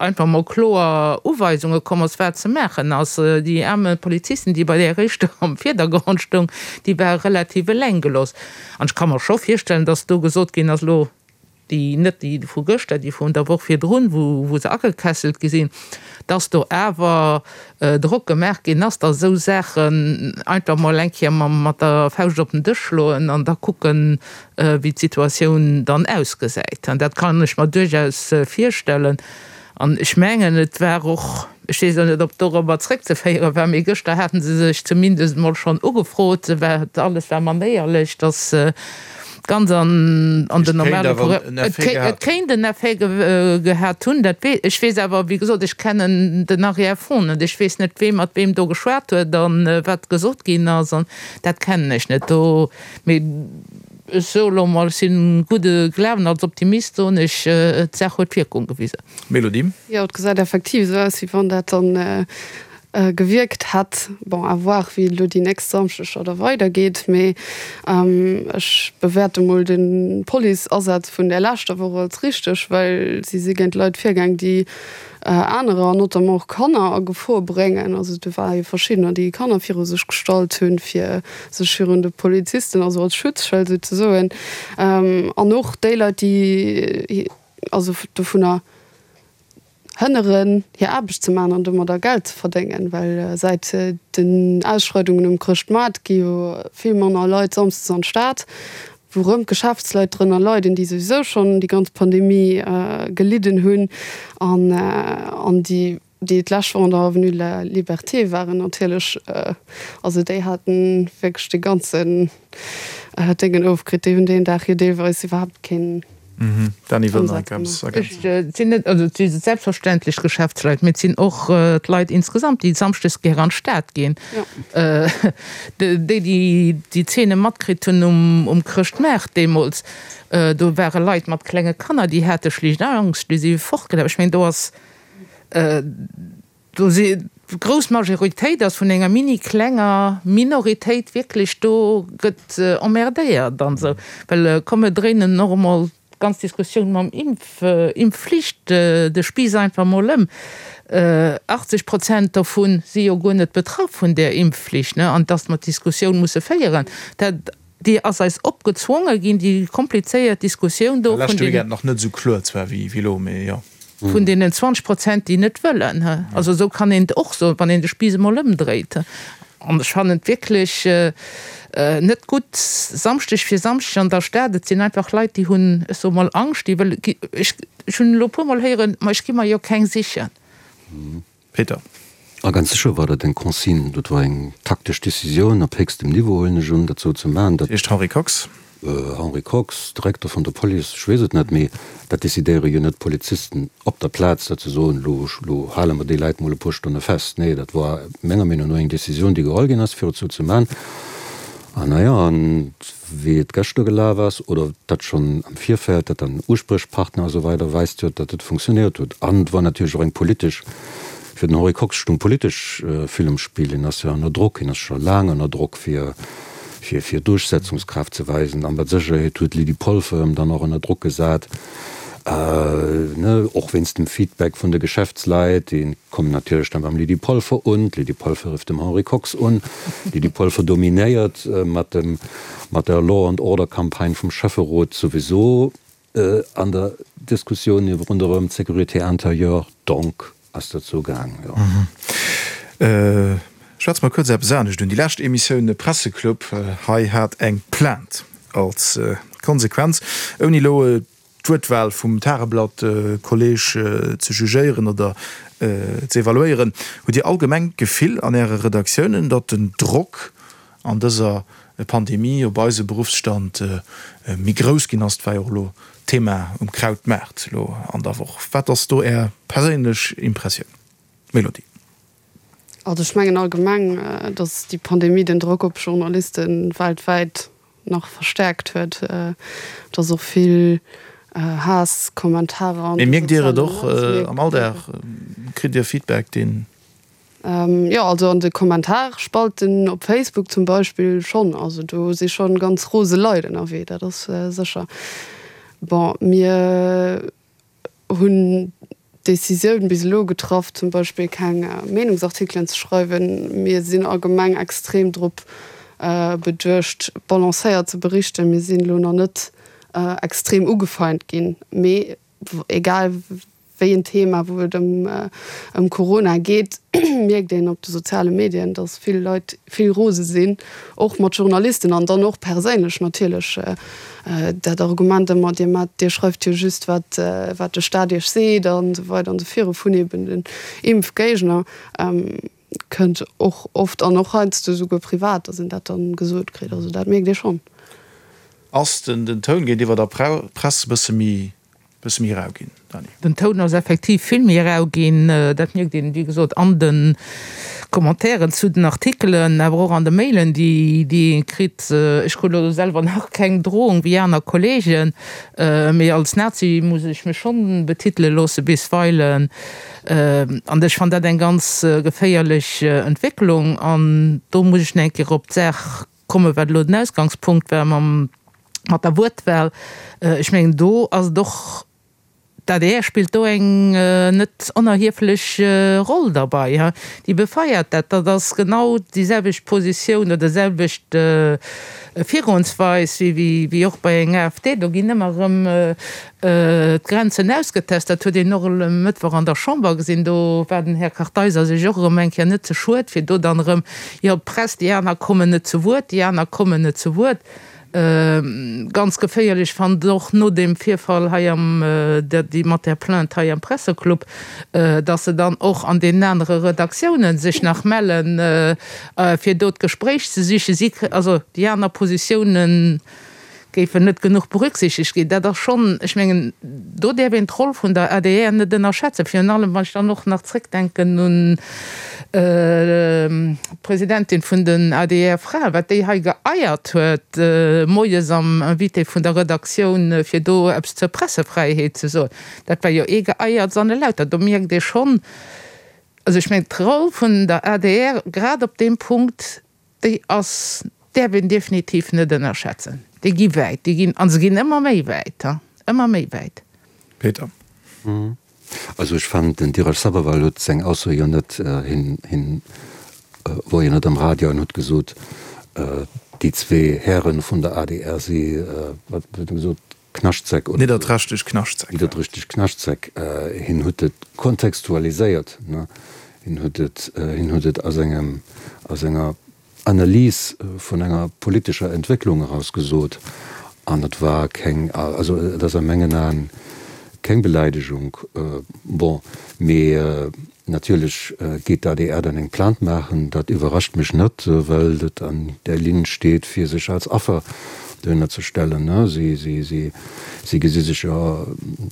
einfach mol kloer Uweisunge komm ass, wat ze maachen ass. Déi aarme Polizisten, déi bei där éischter am Virdergrond stoung, déi ware relativ eleng gelooss. An ech ka mer scho virstellen, dass do gesot ginn ass, elo déi, net déi vu gëschter, déi vun der Woch virdrun, wou, wou se agekesselt gi sinn, dass do awer Drock gemaach ginn ass, dass esou Saachen einfach mol eng Kéier mat der Fauscht op den Dësch schloen an da kucken, wéi d'Situatioun dann ausgesäit. An dat kann ech mer duerchaus virstellen. An ech mengen, et war och, ech weess elo net, ob dorobber zréckzeféiere war, mee gëschter hate se sech zumindest emol schonn ugefrot, alles war manéierlech, dass ganz an an den normale Courant. Et kéint en Effet gehat hunn, dat weess ech. Weess awer, wéi gesot, ech kennen den Arrière-fond net. Ech weess net, wee mat weem do geschwat huet a wat gesot ginn ass. An dat kennen ech net do. Mee ech soe lo mol, ech si gudde Glawen, als Optimist soen ech, d'Saach huet Wierkung gewisen. Mélodie. Jo, et gesäit effektiv esou aus, wéi wann dat dann gewierkt hätt. Bon, à voir, wéi elo déi nächst Samschdeger da weidergeet, mee ech bewäerte mol de Police-Asaz vun där leschter Woch als richteg, well si si géint Leit virgaang, déi anerer, an notamment och Kanner, a Gefor bréngen. Also do ware jo verschiddener, déi Kanner viru sech gestallt hunn, fir sech virun de Polizisten, also als Schutzschëld souzesoen, an och déi Leit, déi also dovunner hënneren, hir Aarbecht ze maachen an domadder Geld ze verdéngen, well säit den Ausschreidungen um Chrëschtmaart gi jo vill manner Leit samsdes an d'Stad, wou rëm d'Geschäftsleit drënner leiden, déi souwisou schonn déi ganz Pandemie gelidden hunn an an déi, déi d'lescht Woch an der Avenue de la Liberté waren natierlech, also déi haten wierklech de ganzen Déngen ofkritt, déi hunn deen Dag jo deelweis iwwerhaapt keen. Dany wëll nach eppes ergänzen. Et sinn net, also et si selbstverständlech d'Geschäftsleit, mee et sinn och d'Leit insgesamt, déi samschdes gär an d'Stad ginn. Déi, déi déi Zeene matkritt hunn um Chrëschtmaart deemools, do ware Leit mat klenge Kanner, déi hate schlicht Angscht, déi si fortgelaf. Ech mengen, do ass, do si grouss Majoritéit ass vun enger mini klenger Minoritéit wierklech do gëtt emmerdéiert an esou. Well komm mir dréinen och emol d'ganz Diskussioun mam Impf, Impfflicht de Spiiss einfach emol ëm. 80 Prozent dovun si jo guer net betraff vun där Impfflicht, ne, an dass mer d'Diskussioun musse féieren, dat déi ass eis opgezwonge ginn, déi komplizéiert Diskussioun do vun den. Weekend nach net esou kloer zwar wéi elo, mee jo. Vun deenen 20 Prozent, déi net wëllen. Also esou kann een et och soen, wann een de Spiiss emol ëmdréit. An ech fannen et wierklech net gutt, Samschdeg fir Samschdeg an der Stad, et sinn einfach Leit, déi hunn, ech soe mol, Angscht, déi wëlle, ech hunn elo e puermol héieren, ma ech gi mer jo keng sichen. Peter. A ganz sécher war dat eng Consigne, dat war eng taktesch Decisioun op héchstem Niveau, huelen ech un, dat esou ze maachen. Dat heescht Henri Kox? Henri Kox, Direkter vun der Police, ech weess et net, mee dat decidéiere jo net d'Polizisten op der Plaz, datt se soen, elo, elo hale mer déi Leit mol e puer Stonne fest. Nee, dat war menger Meenung no eng Decisioun, déi geholl ginn ass, fir et esou ze maachen. An na ja, an wéi et gëschter gelaf ass, oder dat schonn am Virfeld, dat dann Uspriechpartner a sou weider, weist jo, datt et funktionéiert huet. An et war natierlech och eng politesch, fir den Henri Kox stung politesch vill um Spill. Hien ass jo ënner Drock, hien ass scho laang ënner Drock, fir, fir, fir Duerchsetzungskraaft ze weisen. A mat Sécherheet huet d'Lydie Polfer em dann och ënner Drock gesat, ne, och wéinst dem Feedback vun de Geschäftsleit, dee Kommen natierlech dann beim Lydie Polfer un. D'Lydie Polfer rifft dem Henri Kox un. D'Lydie Polfer dominéiert mat dem, mat der Law and Order Campagne vum Schäfferot souwisou an der Diskussioun ronderëm d'Sécurité intérieure. Donc ass dat sou gaang, jo. Schwätze mer kuerz eppes anescht un. Déi lescht Emissioun Presseclub hei hat eng Plainte als Konsequenz, ouni elo d'Wuertwahl vum Tageblatt-Kolleg ze jugéieren oder ze evaluéieren. Hutt Dir allgemeng d'Gefill an Äre Redaktiounen, datt den Drock an dëser Pandemie op eise Beruffsstand méi grouss ginn ass? Dat war jo och elo Thema um Krautmaart elo an der Woch. Wat ass do Är perséinlech Impressioun, Mélodie? Also ech mengen allgemeng, datt déi Pandemie den Drock op Journaliste weltwäit nach verstäerkt huet, dass och vill Haass-Kommentarer an de sozialen Netzwierker. Mee mierkt Dir et och am Alldag? Kritt Dir Feedback, deen. Jo, also an de Kommentarspalten op Facebook zum Beispill schonn. Also do si schonn ganz rose Leit ënnerwee, dat ass sécher. Bon, mir. hunn d'Decisioun bis elo getraff, zum Beispill keng Meenungsartikelen ze schreiwen. Mir sinn allgemeng extrem drop beduecht, balancéiert ze berichten. Mir sinn elo nach net extrem ugefeint ginn, mee egal wéi en Thema, wou et ëm Corona geet, mierkt een op de soziale Medien, datt vill Leit vill rose sinn, och mat Journalisten an dann och perséinlech natierlech. Dat Argument ëmmer, Dir mat, Dir schreift jo just wat, wat de Staat Iech seet an esou weider an esou viru vun eben den Impfgéigner, kënnt och oft an och heiansdo esouguer privat, datt een dat dann gesot kritt. Also dat mierkt ee schonn. Ass den Toun géintiwwer der Press e bësse méi Bësse méi rau ginn, Dany. Den Toun ass effektiv vill méi rau ginn. Dat mierkt een, wéi gesot, an de Commentairen zu den Artikelen, awer och an de Mailen, déi ee kritt. Ech krut elo selwer nach keng Drohung wéi aner Kollegen, mee als Nazi muss ech mech schonn betitele loosse bisweilen. An ech fannen dat eng ganz geféierlech Entwécklung. An do muss ech nach eng Kéier op d'Saach kommen, wat elo den Ausgangspunkt war mam, mat der Wuertwahl. Ech mengen, do ass et och, d'ADR spillt do eng net onerhieflech Roll derbei. Déi befeiert dat. Dat ass genau déi selwecht Positioun oder selwecht Virgoensweis wéi och bei enger AfD. Do ginn ëmmer erëm D'Grenzen ausgetest, dat huet een och e Mëttwoch an der Chamber gesinn. Do war den Här Kartheiser sech och erëm eng Kéier net ze schued, fir do dann erëm, jo, d'Press, déi aner kommen net zu Wuert, déi aner kommen net zu Wuert. Ganz geféierlech fand och no deem Virfall hei am, déi mat där Plainte hei am Presseclub, datt se dann och an deenen anere Redaktiounen sech nach mellen, fir do d'Gespréich ze sichen. Si, also déi aner Positiounen, géifen net genuch berücksichtegt ginn. Dat ass schonn, ech mengen, do däerf een d'Roll vun der adr net ënnerschätzen, virun allem wann ech dann och nach zréckdenken un d'Presidentin vun den ADR-Fraen, wat déi hei geeiert huet moies am Invité vun der Redaktioun, fir do eppes zur Pressefräiheet ze soen. Dat war jo ee Geeierts an e Lauter. Do mierkt ee schonn, also ech mengen, d'Roll vun der adr grad op deem Punkt, Déi ass, däerf een definitiv net ënnerschätzen. Déi gi wäit, déi ginn, a se ginn ëmmer méi wäit, ëmmer méi wäit. Peter. Also ech fannen, den Dheeraj Sabharwal huet seng Ausso jo net, hien, hien wor jo net am Radio an huet gesot, déi zwee Hären vun der adr si, wat huet en gesot, Knaschtsäck oder. Nidderträchteg Knaschtsäck. Nidderträchteg Knaschtsäck. Hien huet et kontextualiséiert, ne? Hien huet et, hien huet et a sengem, a senger Analys vun enger politescher Entwécklung eraus gesot. An et war keng, also et ass a mengen Aen. Keng Beleidegung, bon, mee natierlech geet d'ADR dann eng Plainte maachen. Dat iwwerrascht mech net, well et an där Linn steet, fir sech als Affer dohinner ze stellen. Si, si, si, si gesi sech jo,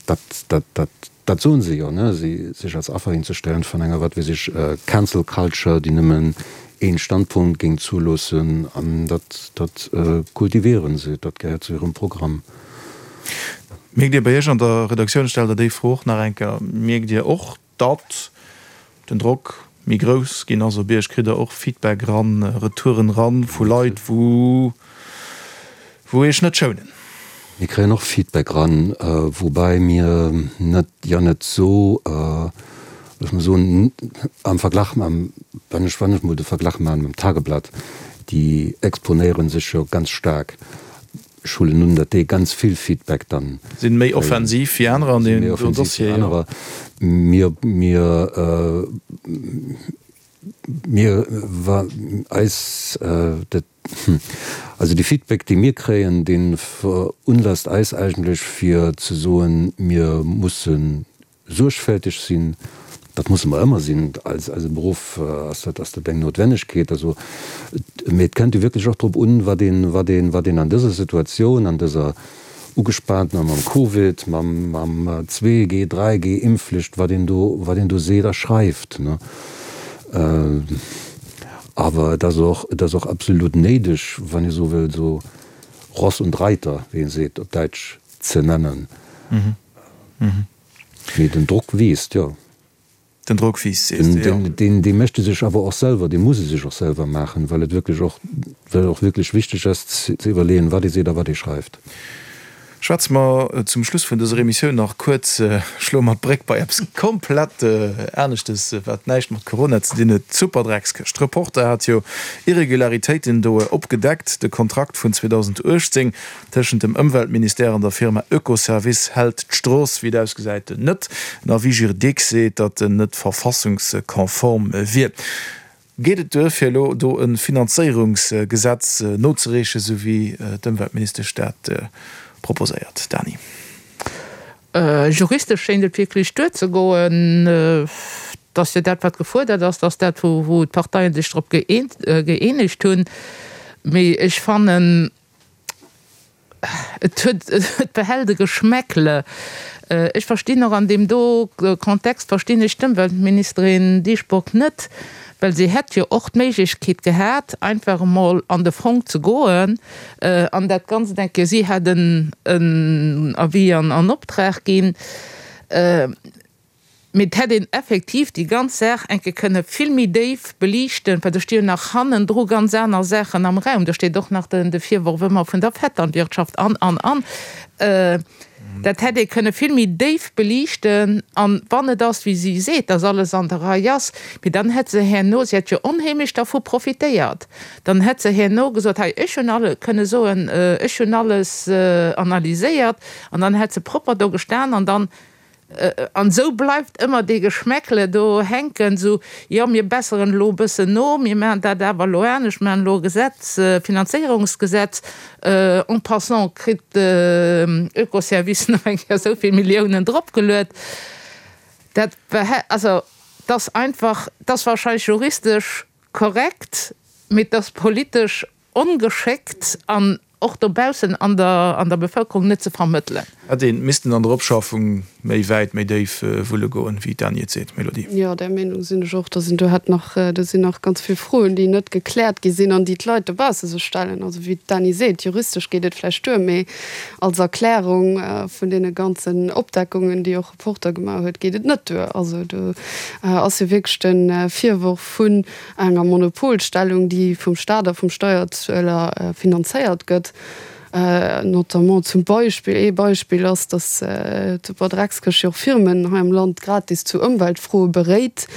dat, dat, dat, dat soen se jo, si, sech als Affer hinzestellen vun enger, wat weess ech, Cancel Culture, déi nëmmen een Standpunkt géing zuloossen. An dat, dat kultivieren se, dat gehéiert zu hirem Programm. Mierkt Dir bei Iech an der Redaktioun, ech stellen der déi Fro och nach eng Kéier, mierkt Dir och, datt den Drock méi grouss ginn ass op Iech? Kritt Der och Feedback eran, Retouren eran vu Leit, wou wou Iech net schounen? Mir kréien och Feedback eran, woubäi mir net, jo net esou, looss mer soen, am Verglach mam, wann ech wann ech mol de Verglach maachen mam Tageblatt, déi exponéiere sech jo ganz staark. Ech huelen un, datt déi ganz vill Feedback dann. Sinn méi offensiv wéi anerer an deem do Dossier, jo. Mir, mir, mir, wa eis dat, also dee Feedback, dee mir kréien, dee verunlasst eis eigentlech fir ze soen, mir mussen Suergfälteg sinn, dat musse mer ëmmer sinn, als eisem Beruff ass dat, ass dat eng Noutwennegkeet. Also, mee et kënnt jo wierklech och drop un, wat een, wat een, wat een an dëser Situatioun, an dëser ugespaantener, mam Covid, mam, mam 2G, 3G, Impfflicht, wat een do, wat een do seet a schreift, ne. Awer et ass och, et ass och absolut néideg, wann ee sou wëll, esou Ross und Reiter, wéi een seet op Däitsch, ze nennen. Mee den Drock wiisst, jo. Den Drock wiisst, sees de, jo. Deen, dee mécht e sech awer och selwer, dee muss e sech och selwer maachen, well et wierklech och, well et och wierklech wichteg ass ze iwwerleeën, wat ee seet a wat ee schreift. Schwätze mer zum Schluss vun dëser Emissioun nach kuerz, schloe mer d'Bréck bei eppes komplett aneschtes, wat näischt mat Corona ze dinn huet, d'Superdreckskëscht. Reporter hat jo Irregularitéiten do opgedeckt. De Kontrakt vun 2018 Tëschent dem Ëmweltministère an der Firma Oekoservice hält d'Strooss, wéi et ausgesäit, net. En Avis juridique seet, datt en net verfassungskonform wier. Geet et duer, fir elo do e Finanzéierungsgesetz nozereechen, esou wéi d'Ëmweltministesch dat proposéiert? Dany. Juristesch schéint et wierklech duerzegoen. Et ass jo dat, wat gefuerdert ass, et ass dat, wou d'Parteien sech drop gëeenegt hunn. Mee ech fannen, Et huet, et behält e Geschmäckle. Ech verstinn och an deem do Kontext verstinn ech d'Ëmweltministerin Dieschbourg net, well si hätt jo och d'Méiglechkeet gehat, einfach emol an de Fong ze goen an dat Ganzt eng Kéier, si hätt en Avis an Optrag ginn. Mee et hätt een effektiv déi ganz Saach eng Kéier kënne vill méi déif beliichten, well do sti jo nach hannendru ganz aner Saachen am Raum. Do steet och nach de Virworf ëmmer vun der Vetternwirtschaft an, an, an. Dat hätt ee kënne vill méi déif beliichten. An wann et ass, wéi si seet, dass alles an der Rei ass, mee dann hätt se herno, si hätt jo onheemlech dervu profitéiert, dann hätt se herno gesot, hei, ech hunn alle, kënne soen, ech hunn alles analyséiert, an dann hätt se propper do gestan an dann, An esou bleift ëmmer dee Geschmäckle do hänken, esou, jo, mir besseren elo e bëssen no, mir maachen dat awer elo anescht, mir maachen elo e Gesetz, e Finanzéierungsgesetz. En passant kritt de Oekoservice nach eng Kéier esou vill Milliounen dropgeluet. Dat, also, et ass einfach, et ass wahrscheinlech juristesch korrekt, mee et ass politesch Ongeschéckt an och dobaussen an der an der Bevëlkerung net ze vermëttelen. Hätt een missten an der Opschaffung méi wäit, méi déif wulle goen, wéi d'Dany et seet, Mélodie. Jo, där Meenung sinn ech och, dass een do hätt nach, do sinn nach ganz vill Froen, déi net gekläert gi sinn an déi d'Leit dobausse sech stellen. Also wéi d'Dany seet, juristesch geet et vläicht duer, mee als Erklärung vun deene ganzen Opdeckungen, déi och Reporter gemaach huet, geet et net duer. Also do ass jo wierklech de Virworf vun enger Monopolstellung, déi vum Staat a vum Steierzueler finanzéiert gëtt, notamment zum Beispill, ee Beispill ass, datt d'Superdreckskëscht jo och Firmen hei am Land gratis zu Ëmweltfroe beréit,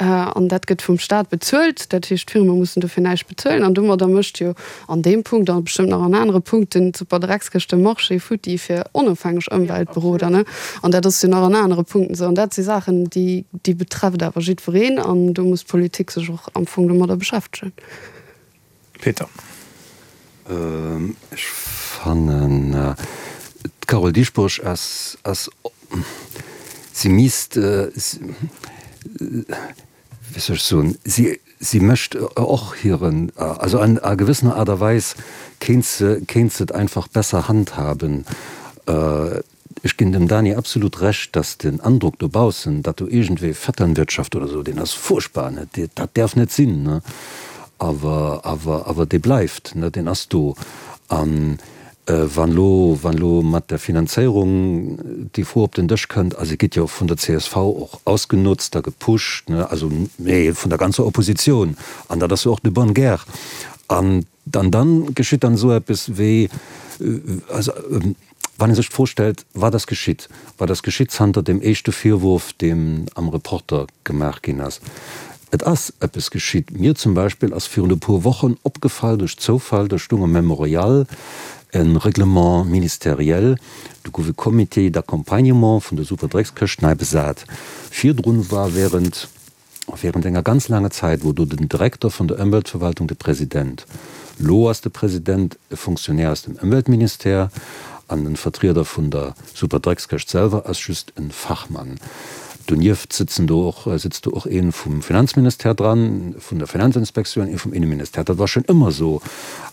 an dat gëtt vum Staat bezuelt. Dat heescht, d'Firme mussen dofir näischt bezuelen an domadder mécht jo an deem Punkt a bestëmmt nach an anere Punkten d'Superdreckskëscht de Marché futti fir onofhängeg Ëmweltberoder. An dat ass jo nach an anere Punkten esou. An dat si Saachen, déi, déi betrefft awer jiddwereen an do muss d'Politik sech och am Fong domadder beschäftegen. Peter. Ech fannen, d'Carole Dieschbourg ass, ass. Si misst, wéi soll ech soen, si, si mécht och hiren, also an a gewëssener Aart a Weis kéint se, kéint se et einfach besser handhaben. Ech ginn dem Dany absolut Recht, dass den Androck dobaussen, datt do iergendwéi Vetternwirtschaft oder esou, deen ass furchtbar, ne, dat däerf net sinn, ne, awer, awer, awer dee bleift, ne, deen ass do. An wann elo, wann elo mat der Finanzéierung déi Fro op den Dësch kënnt, a se gétt jo vun der csv och ausgenutzt a gepusht, ne, also, mee vun der ganzer Opposition, an dat ass jo och de bonne guerre, an Dann, dann geschitt dann esou eppes wéi, also wann ee sech d'Fro stellt, wat ass geschitt, wat ass geschitt zanter deem éischte Virwurf, deem am Reporter gemaach ginn ass? Et ass eppes geschitt. Mir zum Beispill ass virun e puer Wochen opgefall duerch Zoufall, do stung am Memorial e Règlement ministériel, do gouf e Comité d'accompagnement vun der Superdreckskëscht nei besat. Virdrun war während Während enger ganz laanger Zäit wor do den Direkter vun der Ëmweltverwaltung de President. Lo ass de President e Fonctionnaire aus dem Ëmweltministère an den Vertrieder vun der Superdreckskëscht selwer ass just en Fachmann. Donieft sëtzen do och sëtzt do och een vum Finanzministère dran, vun der Finanzinspektioun, een vum Inneministère. Dat war schon ëmmer esou.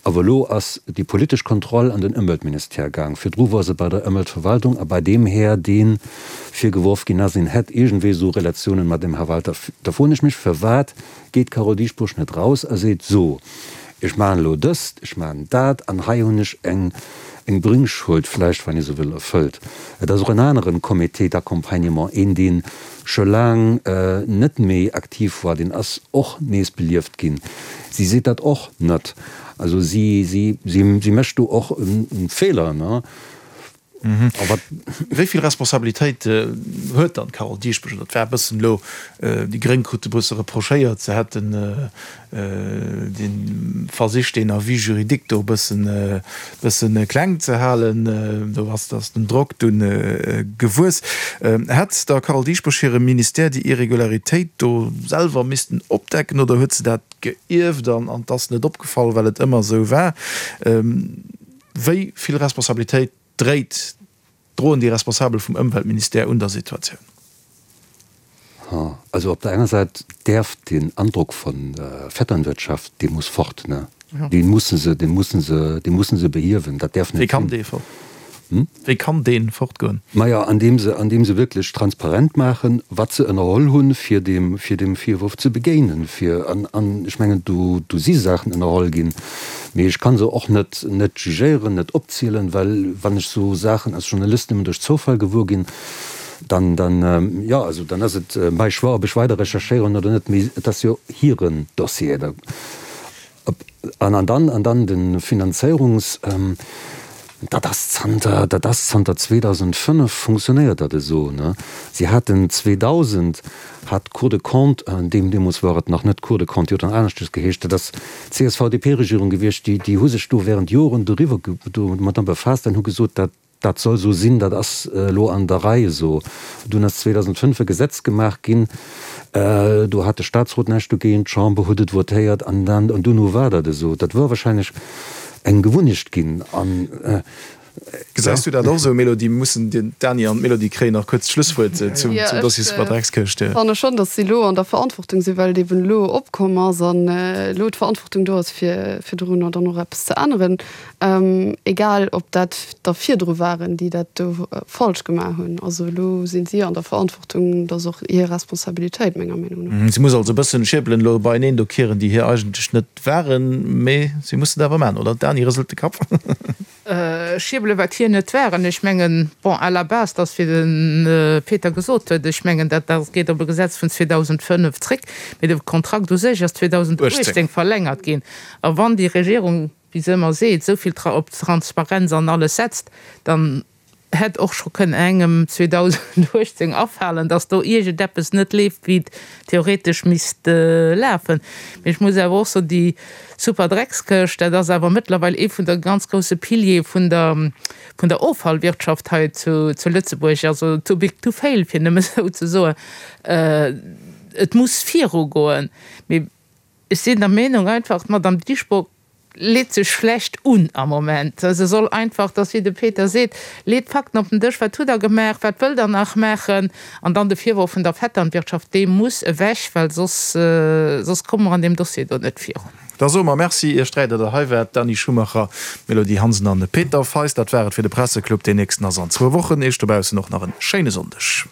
Awer elo ass déi politesch Kontroll an den Ëmweltministère gaang. Virdru wor se bei der Ëmweltverwaltung a bei deem Här, deen virgeworf ginn ass, en hätt iergendwéi esou Relatiounen mat dem Här Walter. Da froen ech mech, firwat geet d'Carole Dieschbourg net raus a seet, So, ech maachen elo dëst, ech maachen dat an hei hunn ech eng eng Bringschuld vläicht, wann ee sou wëll, erfëllt. Et ass och en aneren Comité d'accompagnement, een dee scho laang net méi aktiv war, deen ass och nees belieft ginn. Si seet dat och net. Also si si si mécht do och e Feeler, ne? Wéi vill Responsabilitéit huet dann d'Carole Dieschbourg? Dat war e bëssen elo, déi Gréng krute e bësse reprochéiert, se hätten dee versicht, deen Avis juridique do e bëssen, bëssen kleng ze halen. Do ass ass den Drock dunn gewuess. Hätt der Carole Dieschbourg hire Ministère déi Irregularitéit do selwer missten opdecken oder huet se dat geierft an et ass net opgefall, well et ëmmer esou war? Wéi vill Responsabilitéit dréit, droen déi Responsabel vum Ëmweltministère un der Situatioun? Also op der enger Säit däerf deen Androck von Vetternwirtschaft, dee muss fort, ne? Dee musse se, dee musse se, dee musse se behiewen. Dat däerf net sinn. Wéi kann dee fort? Wéi kann dee fortgoen? Maja, andeem se, andeem se wierklech transparent maachen, wat se ënnerholl hunn, fir deem, fir deem Virwurf ze begéinen, fir, an, an ech mengen, do, do si Saachen ënnerholl ginn, mee ech ka se och net, net jugéieren, net opzielen, well wann ech esou Saachen als Journalist nëmmen duerch Zoufall gewuer ginn, dann, dann, jo, also dann ass et mäi Choix, ob ech weider recherchéieren oder net, mee et ass jo hiren Dossier. Da. An an dann, an dann de Finanzéierungs, dat ass zanter, dat ass zanter 2005 funktionéiert dat esou, ne. Si haten 2000 hat d'Cour des Comptes, deem, deemools war et nach net d'Cour des Comptes, déi huet dann aneschtes geheescht, dat ass d'CSV-DP-Regierung gewiescht, déi, déi hu sech do während Joren doriwwer, domadder befaasst an hu gesot, dat, Dat soll esou sinn, dat ass elo an der Rei esou. Dunn ass 2005 e Gesetz gemaach ginn, do hat de Statsrot näischt dogéint, d'Chamber huet et votéiert an dann, an duerno war dat esou. Dat wor wahrscheinlech eng Gewunnecht ginn an, ja. Gesäis du dat och esou, Mélodie? Mir mussen den Dany an d'Mélodie kréien nach kuerz d'Schlusswuert zum Dossier Superdreckskëscht. Ech fanne schonn, datt si elo an der Verantwortung sinn, well et eben elo opkomm ass an elo d'Verantwortung do ass, fir dorunner dann och eppes ze änneren. Egal ob dat der virdru waren, déi dat do falsch gemaach hunn. Also elo sinn si an der Verantwortung, dat ass och hir Responsabilitéit menger Meenung no. Si muss also e bëssen Schierbelen elo beieneen do kieren, déi hir eigentlech net waren, mee si muss et awer maachen, oder? D'Dany rëselt de Kapp. Schierbelen, wat hir net waren. Ech mengen, bon, à la base, dass, wéi de Peter gesot huet, ech mengen, dat geet op e Gesetz vun 2005 zréck, mee de Kontrakt u sech ass 2018 verlängert ginn. A wann déi Regierung wéi se ëmmer seet, esou vill op Transparenz an alles setzt, dann hätt och scho kënnen engem 2018 afalen, dass do iergendeppes net leeft, wéi et theoretesch misst lafen. Mee ech muss awer och soen, déi super Dreckskëscht, dat ass awer mëttlerweil ee vun de ganz grousse Piliere vun der, vun der Offallwirtschaft hei zu, zu Lëtzebuerg. Also too big to fail, fir nëmme esou ze soen. Et muss virugoen. Mee ech sinn der Meenung einfach, d'Madame Dieschbourg. Leet sech schlecht un am Moment. Se soll einfach, dass wéi de Peter seet, leet d'Fakten op den Dësch, wat hutt Der gemaach, wat wëllt Der nach maachen? An dann de Virworf vun der Vetternwirtschaft, dee muss ewech, well soss, soss komme mer an deem Dossier do net virun. Da soe mer Merci Iech 3, datt Der hei waart, Dany Schumacher, Mélodie Hansen an Peter Feist. Dat war et fir de Presseclub. Deen nächsten ass an zwou Wochen. Iech dobaussen och nach en schéine Sonndeg.